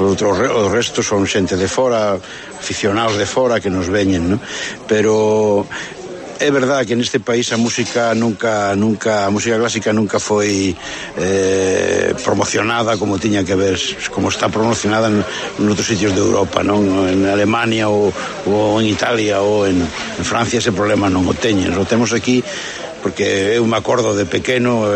O resto son xente de fora, aficionados de fora que nos veñen, non? Pero é verdade que neste país a música nunca, nunca, a música clásica nunca foi eh, promocionada como tiña que ver, como está promocionada en, en outros sitios de Europa, non? En Alemania ou, ou en Italia ou en, en Francia ese problema non o teñen, o temos aquí porque eu me acordo de pequeno,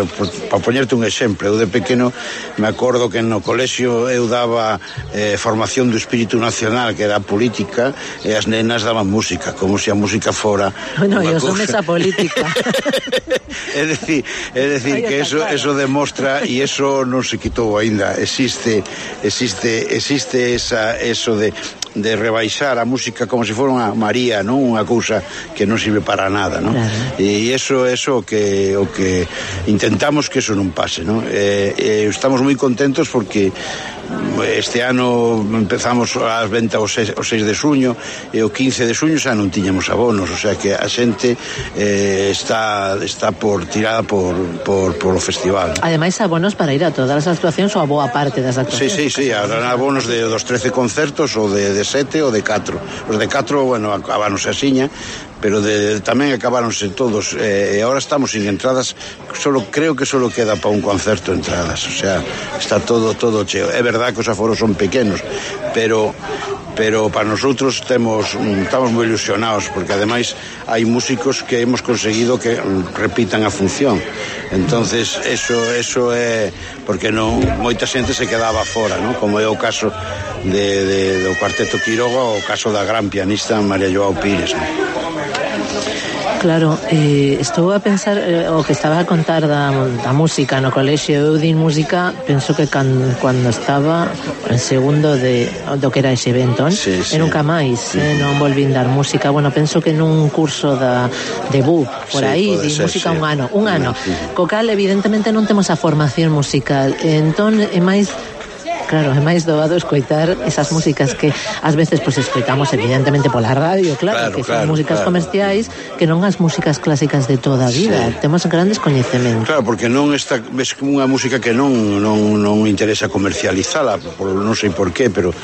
para poñerte un exemplo, eu de pequeno me acordo que no colexio eu daba eh, formación do espírito nacional, que era política, e as nenas daban música, como se a música fora bueno, eu son esa política. É dicir, é dicir que eso, eso demostra, e eso non se quitou aínda, existe existe existe esa, eso de de rebaixar a música como se fora unha María, non? Unha cousa que non sirve para nada, non? Claro. E iso é o que o que intentamos que eso non pase, non? E, e estamos moi contentos porque este ano empezamos as ventas o seis de xuño e o quince de xuño xa non tiñamos abonos, o sea que a xente eh, está está por tirada por, por, por o festival. Ademais abonos para ir a todas as actuacións ou a boa parte das actuacións. Sí, sí, sí, habrá abonos de dos trece concertos ou de, de sete ou de catro. Os de catro, bueno, acabaronse asiña, pero de, tamén acabáronse todos eh, e agora estamos sin entradas, solo creo que solo queda para un concerto entradas, o sea, está todo todo cheo. É verdade que os aforos son pequenos, pero pero para nosotros temos, estamos moi ilusionados porque ademais hai músicos que hemos conseguido que repitan a función, entonces eso eso é porque non moita xente se quedaba fora, non? Como é o caso de, de, do Cuarteto Quiroga ou o caso da gran pianista María Joao Pires, non? Claro, eh, estou a pensar eh, o que estaba a contar da, da música no colexio. Eu din música, penso que can, cando estaba en segundo de, do que era ese evento, sí, sí. E nunca máis, sí. eh, non volvín dar música. Bueno, penso que nun curso da, de B U P, por sí, aí, di música sí. un ano, un ano. Sí. Co cal, evidentemente, non temos a formación musical. Entón, é máis... Claro, é máis doado escoitar esas músicas que ás veces pues escoitamos evidentemente pola radio, claro, claro que son claro, músicas claro. comerciais, que non as músicas clásicas de toda a vida. Sí. Temos grandes coñecementos. Claro, porque non está ves unha música que non non non interesa comercializala, por non sei por qué, pero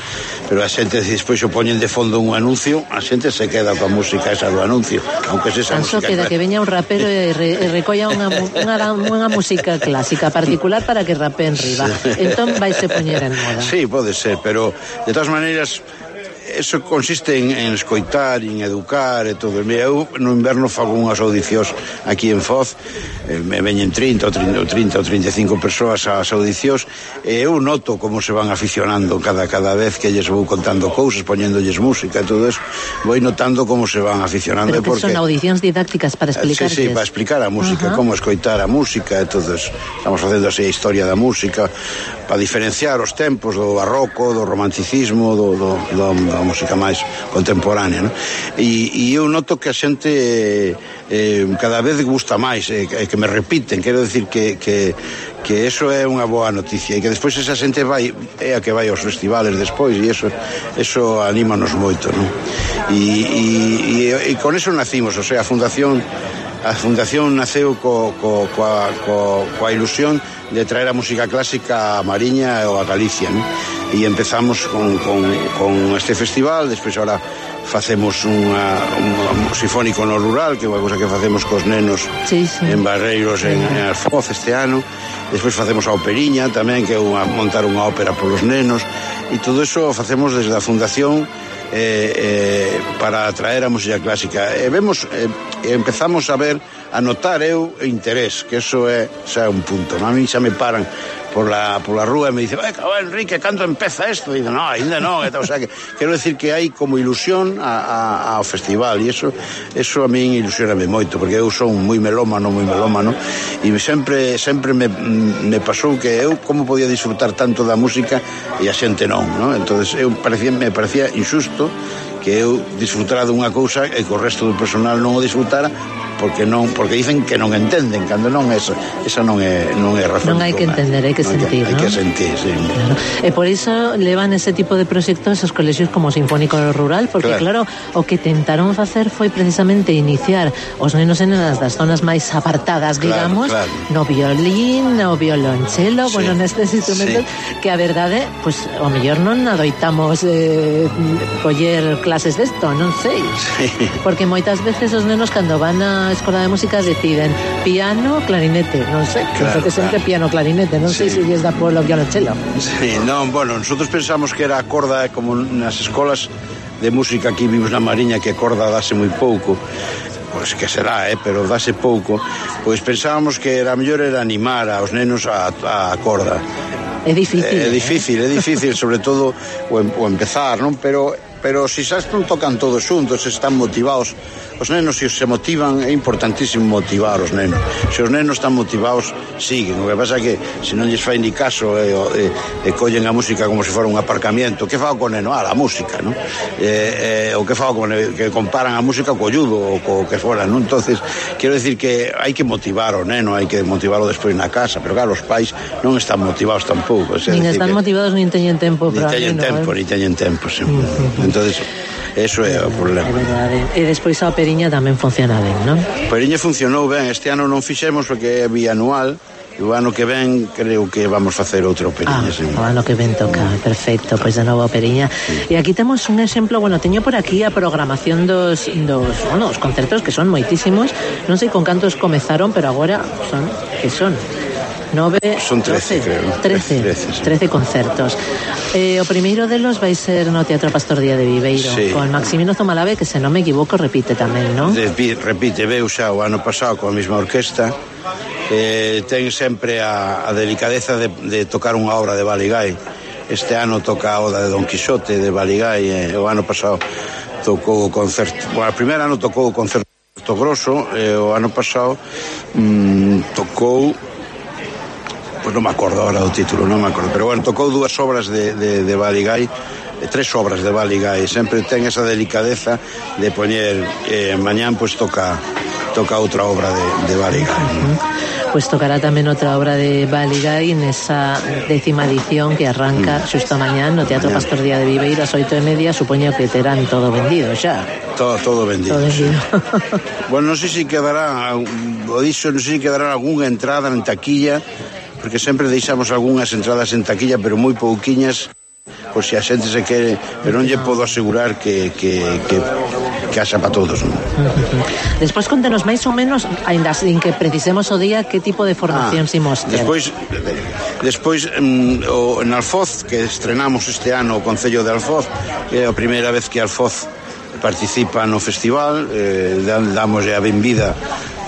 pero a xente despois o poñen de fondo un anuncio, a xente se queda coa música esa do anuncio, aunque se esa música. Queda que veña un rapero e, re, e recolla unha unha unha música clásica particular para que rapeen riba. Sí. Entón vaise poñer en moda. Sí, pode ser, pero de todas maneiras eso consiste en, en escoitar, en educar e todo. Mira, eu no inverno fago unhas audicións aquí en Foz, eh, me veñen trinta ou trinta ou trinta e cinco persoas ás audicións, e eu noto como se van aficionando cada cada vez que lles vou contando cousas, poñéndolles música e todo eso, vou notando como se van aficionando. Pero que porque... son audicións didácticas para explicar. Sí, sí, para explicar a música, uh-huh. como escoitar a música e todo eso. Estamos facendo así a historia da música, para diferenciar os tempos do barroco, do romanticismo, do, do, do, da música máis contemporánea, non? E, e eu noto que a xente eh, cada vez gusta máis, eh, que me repiten, quero decir que, que, que eso é unha boa noticia, e que despois esa xente vai, é a que vai aos festivales despois, e eso, eso anímanos moito, non? E, e, e, e con eso nacimos, o sea, a Fundación a Fundación naceu co, co, coa, co, coa ilusión de traer a música clásica a Mariña ou a Galicia, ¿no? E empezamos con, con, con este festival, despois ahora facemos unha, un sinfónico no rural, que é unha cosa que facemos cos nenos sí, sí. en Barreiros, en, en Alfoz este ano. Despois facemos a operiña tamén, que é unha, montar unha ópera polos nenos, e todo eso facemos desde a Fundación eh, eh, para atraer a música clásica. E vemos, eh, empezamos a ver, a notar eu interés, que eso é xa un punto, ¿no? A mí xa me paran por la, por la rúa e me dice, eh, cabrón, Enrique, cando empeza esto? E digo, no, ainda non. O sea, que, quero decir que hai como ilusión a, a, ao festival, e eso, eso a min ilusioname moito, porque eu son moi melómano, moi melómano, e sempre, sempre me, me pasou que eu como podía disfrutar tanto da música e a xente non, ¿no? Entonces eu parecía, me parecía injusto que eu disfrutara dunha cousa e que o resto do personal non o disfrutara, porque non, porque dicen que non entenden, cando non é esa, esa non é non é razón. Non hai que entender, hai que non sentir, hai ¿no? que sentir, sí. Claro. E por iso levan ese tipo de proxectos aos colexios como o Sinfónico Rural, porque claro. claro, o que tentaron facer foi precisamente iniciar os nenos e nenas das zonas máis apartadas, claro, digamos, claro. no violín, no violonchelo, sí. bueno, nestes instrumentos sí. que a verdade, pues o mellor non adoitamos eh, coller clases desto, non sei. Sí. Porque moitas veces os nenos cando van a escola de música deciden piano, clarinete, non sei, claro, que sempre claro. piano, clarinete, non sí. sei se lles dá polo violonchelo. Sí, non, bueno, nosotros pensamos que era a corda como nas escolas de música aquí vimos na Mariña, que a corda dase moi pouco, pois que será, eh, pero dase pouco, pois pensábamos que era mellor era animar aos nenos a, a corda. É difícil. É, é difícil, é difícil, sobre todo o, o empezar, non? Pero pero se xa non tocan todos xuntos, están motivados. Os nenos, se se motivan, é importantísimo motivar os nenos. Se os nenos están motivados, siguen. O que pasa é que se non lles fai ni caso e, e, e collen a música como se fora un aparcamiento, que fago con o neno? Ah, a música, non? E, e, o que fago con el, que comparan a música co judo ou co que fora, non? Entonces, quero decir que hai que motivar o neno, hai que motivarlo despois na casa, pero claro, os pais non están motivados tampouco. Nin están motivados, nin teñen tempo para nin teñen tempo, nin teñen tempo, sí. Entonces, eso é o problema. É verdade. E despois a operiña tamén funciona ben, non? A operiña funcionou ben. Este ano non fixemos porque é bianual. E o ano que ven creo que vamos facer outra operiña. Ah, sí. o ano que ven toca, perfecto, pois de novo operiña. Sí. E aquí temos un exemplo, bueno, teño por aquí a programación dos, dos, bueno, os concertos que son moitísimos. Non sei con cantos comezaron, pero agora son, que son? nove, son trece, doce, creo. trece, trece, sí. trece concertos. Eh, o primeiro delos vai ser no Teatro Pastor Díaz de Viveiro, sí. con Maximino Zumalabe, que se non me equivoco repite tamén, non? Repite, veu xa o ano pasado coa mesma orquesta. Eh, ten sempre a, a delicadeza de, de tocar unha obra de Baligay. Este ano toca a oda de Don Quixote de Baligay, eh, o ano pasado tocou o concerto, bueno, o primeiro ano tocou o concerto grosso, e o ano pasado mm, tocou, pois non me acordo agora do título, non me acordo, pero bueno, tocou dúas obras de, de, de Baligay, tres obras de Baligay, sempre ten esa delicadeza de poñer, eh, mañán pois toca toca outra obra de, de Baligay. Uh-huh. Pois tocará tamén outra obra de Baligay nesa décima edición que arranca mm. xusto mañán no Teatro mañán. Pastor Díaz de Viveiro ás oito e media, supoño que terán todo vendido xa. Todo, todo vendido. Todo vendido. Bueno, non sei se quedará, o dixo, non sei se quedará algunha entrada en taquilla, porque sempre deixamos algunhas entradas en taquilla, pero moi pouquiñas, por se a xente se quere, pero non lle podo asegurar que, que, que, que haxa para todos, non? Uh-huh. Despois contenos máis ou menos, ainda sin que precisemos o día, que tipo de formación ah, imos ter. Despois, despois um, o, en Alfoz, que estrenamos este ano o Concello de Alfoz, é a primeira vez que Alfoz participa no festival, eh, damos a benvida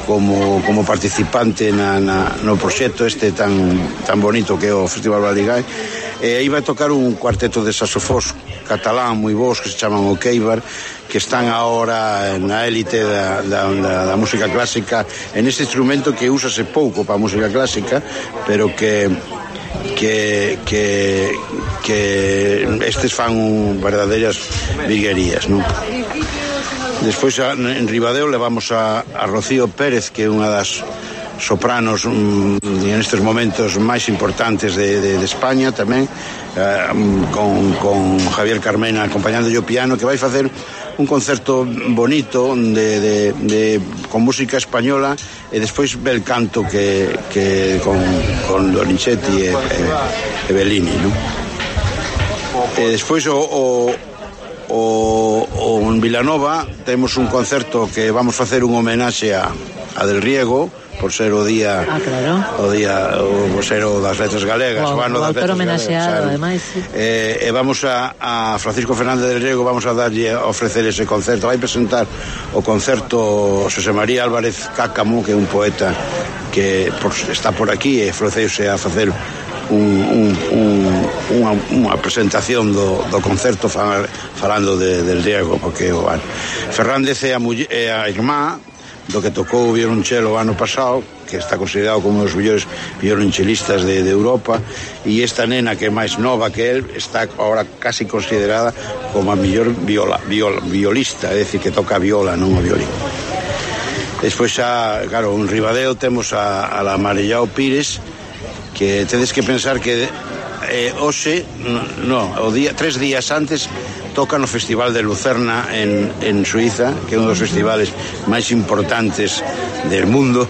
como, como participante na, na, no proxecto este tan, tan bonito que é o Festival Baligay. E aí vai tocar un cuarteto de saxofós catalán moi bons que se chaman o Queibar, que están agora na élite da, da, da, da música clásica, en este instrumento que úsase pouco para a música clásica, pero que que que que estes fan un verdadeiras viguerías, non? Despois en Ribadeo levamos a, a Rocío Pérez, que é unha das sopranos mm, en estes momentos máis importantes de, de, de España tamén, eh, con, con Javier Carmena acompañando o piano, que vai facer un concerto bonito de, de, de, con música española e despois bel canto que, que con, con Donizetti e, e, e Bellini, non? E despois o, o O, o en Vilanova temos un concerto que vamos facer un homenaxe a, a Del Riego por ser o día ah, claro. o día o ser o das letras galegas, o, o ano o das autor letras homenaxeado, galegas, ademais, sí. eh, e vamos a, a Francisco Fernández Del Riego, vamos a darlle a ofrecer ese concerto. Vai presentar o concerto Xosé María Álvarez Cácamo, que é un poeta que por, está por aquí e ofreceuse a facer Un, un, un, unha, unha presentación do, do concerto fal, falando de, del Riego, porque bueno, Fernández é a, muller, é a irmá do que tocou o violonchelo o ano pasado, que está considerado como un dos mellores violonchelistas de, de Europa, e esta nena que é máis nova que el está ahora casi considerada como a mellor viola, viola, violista, é dicir, que toca viola, non o violín. Despois xa, claro, en Ribadeo temos a, a la Marellao Pires, que tedes que pensar que eh, hoxe, no, o día, tres días antes toca no Festival de Lucerna en, en Suiza, que é un dos festivales máis importantes del mundo,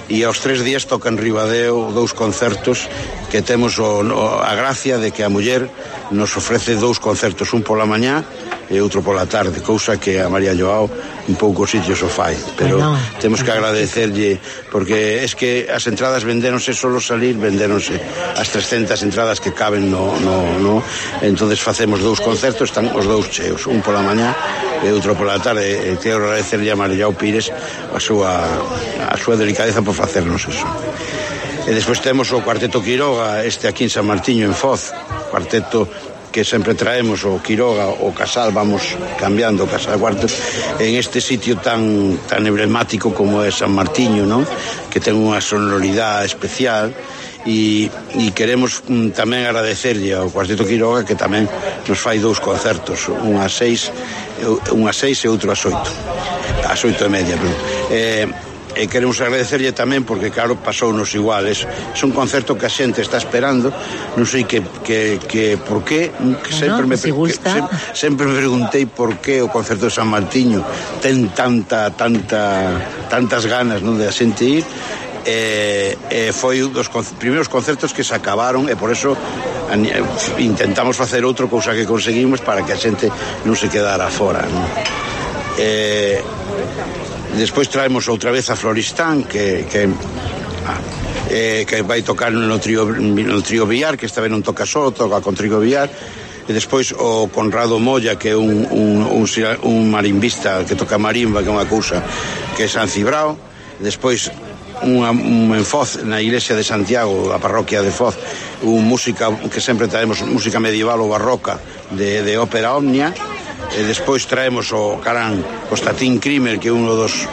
e aos tres días toca en Ribadeo dous concertos que temos o, o, a gracia de que a muller nos ofrece dous concertos, un pola mañá e outro pola tarde, cousa que a María Joao en poucos sitios o fai, pero bueno, temos que agradecerlle, porque es que as entradas vendéronse, solo salir vendéronse as trescentas entradas que caben no, no, no. Entonces facemos dous concertos, están os dous cheos, un pola mañá e outro pola tarde, e quero agradecerlle a María Pires a súa, a súa delicadeza por facernos eso. E despois temos o Cuarteto Quiroga, este aquí en San Martiño, en Foz, cuarteto que sempre traemos o Quiroga, o Casal, vamos cambiando o Casal Cuarto en este sitio tan tan emblemático como é San Martiño, ¿no? Que ten unha sonoridade especial, e, e queremos mm, tamén agradecerlle ao Cuarteto Quiroga, que tamén nos fai dous concertos, un a seis, un a seis e outro a oito, a oito e media, pero eh, e queremos agradecerlle tamén porque claro, pasounos iguales, é un concerto que a xente está esperando, non sei que, que, que por qué, que sempre, no, me, si que, sempre, sempre me preguntei por qué o concerto de San Martiño ten tanta, tanta tantas ganas, non, de a xente ir. E, e foi un dos con, primeiros concertos que se acabaron, e por eso intentamos facer outro, cousa que conseguimos para que a xente non se quedara fora, non? E despois traemos outra vez a Floristán, que que, eh, que vai tocar no trío, no trío Villar, que esta vez non toca só, toca con trío Villar. E despois o Conrado Molla, que é un, un, un, un marimbista que toca marimba, que é unha cousa que é San Cibrao. Despois unha, un en Foz, na iglesia de Santiago, a parroquia de Foz, un música que sempre traemos, música medieval ou barroca de, de ópera Omnia. E despois traemos o Carán Constantin Krimer, que é un dos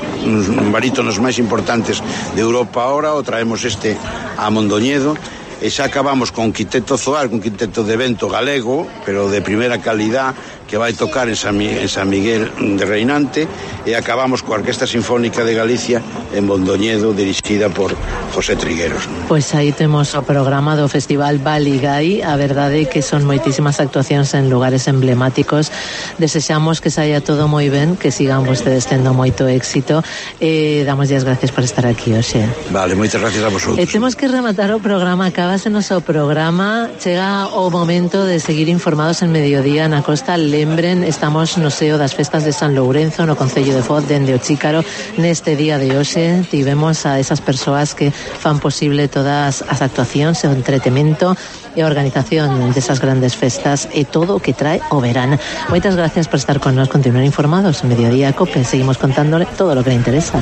barítonos máis importantes de Europa ahora, o traemos este a Mondoñedo. E xa acabamos con Quinteto Zoar, un quinteto de vento galego, pero de primeira calidad, que vai tocar en San, en San Miguel de Reinante, e acabamos coa Orquesta Sinfónica de Galicia en Mondoñedo, dirixida por José Trigueros. Pois aí temos o programa do Festival Baligay. A verdade é que son moitísimas actuacións en lugares emblemáticos. Desexamos que saia todo moi ben, que sigan vostedes tendo moito éxito, e damos as gracias por estar aquí hoxe. Vale, moitas gracias a vosotros. E temos que rematar o programa, acábasenos o programa, chega o momento de seguir informados en Mediodía na Costa. Lembren, estamos no seo das festas de San Lourenzo, no Concello de Foz, dende o Chícaro. Neste día de hoxe tivemos a esas persoas que fan posible todas as actuacións, o entretemento e a organización desas grandes festas e todo o que trae o verán. Moitas gracias por estar con nós, continuar informados en Mediodía Cope, seguimos contándole todo o que le interesa.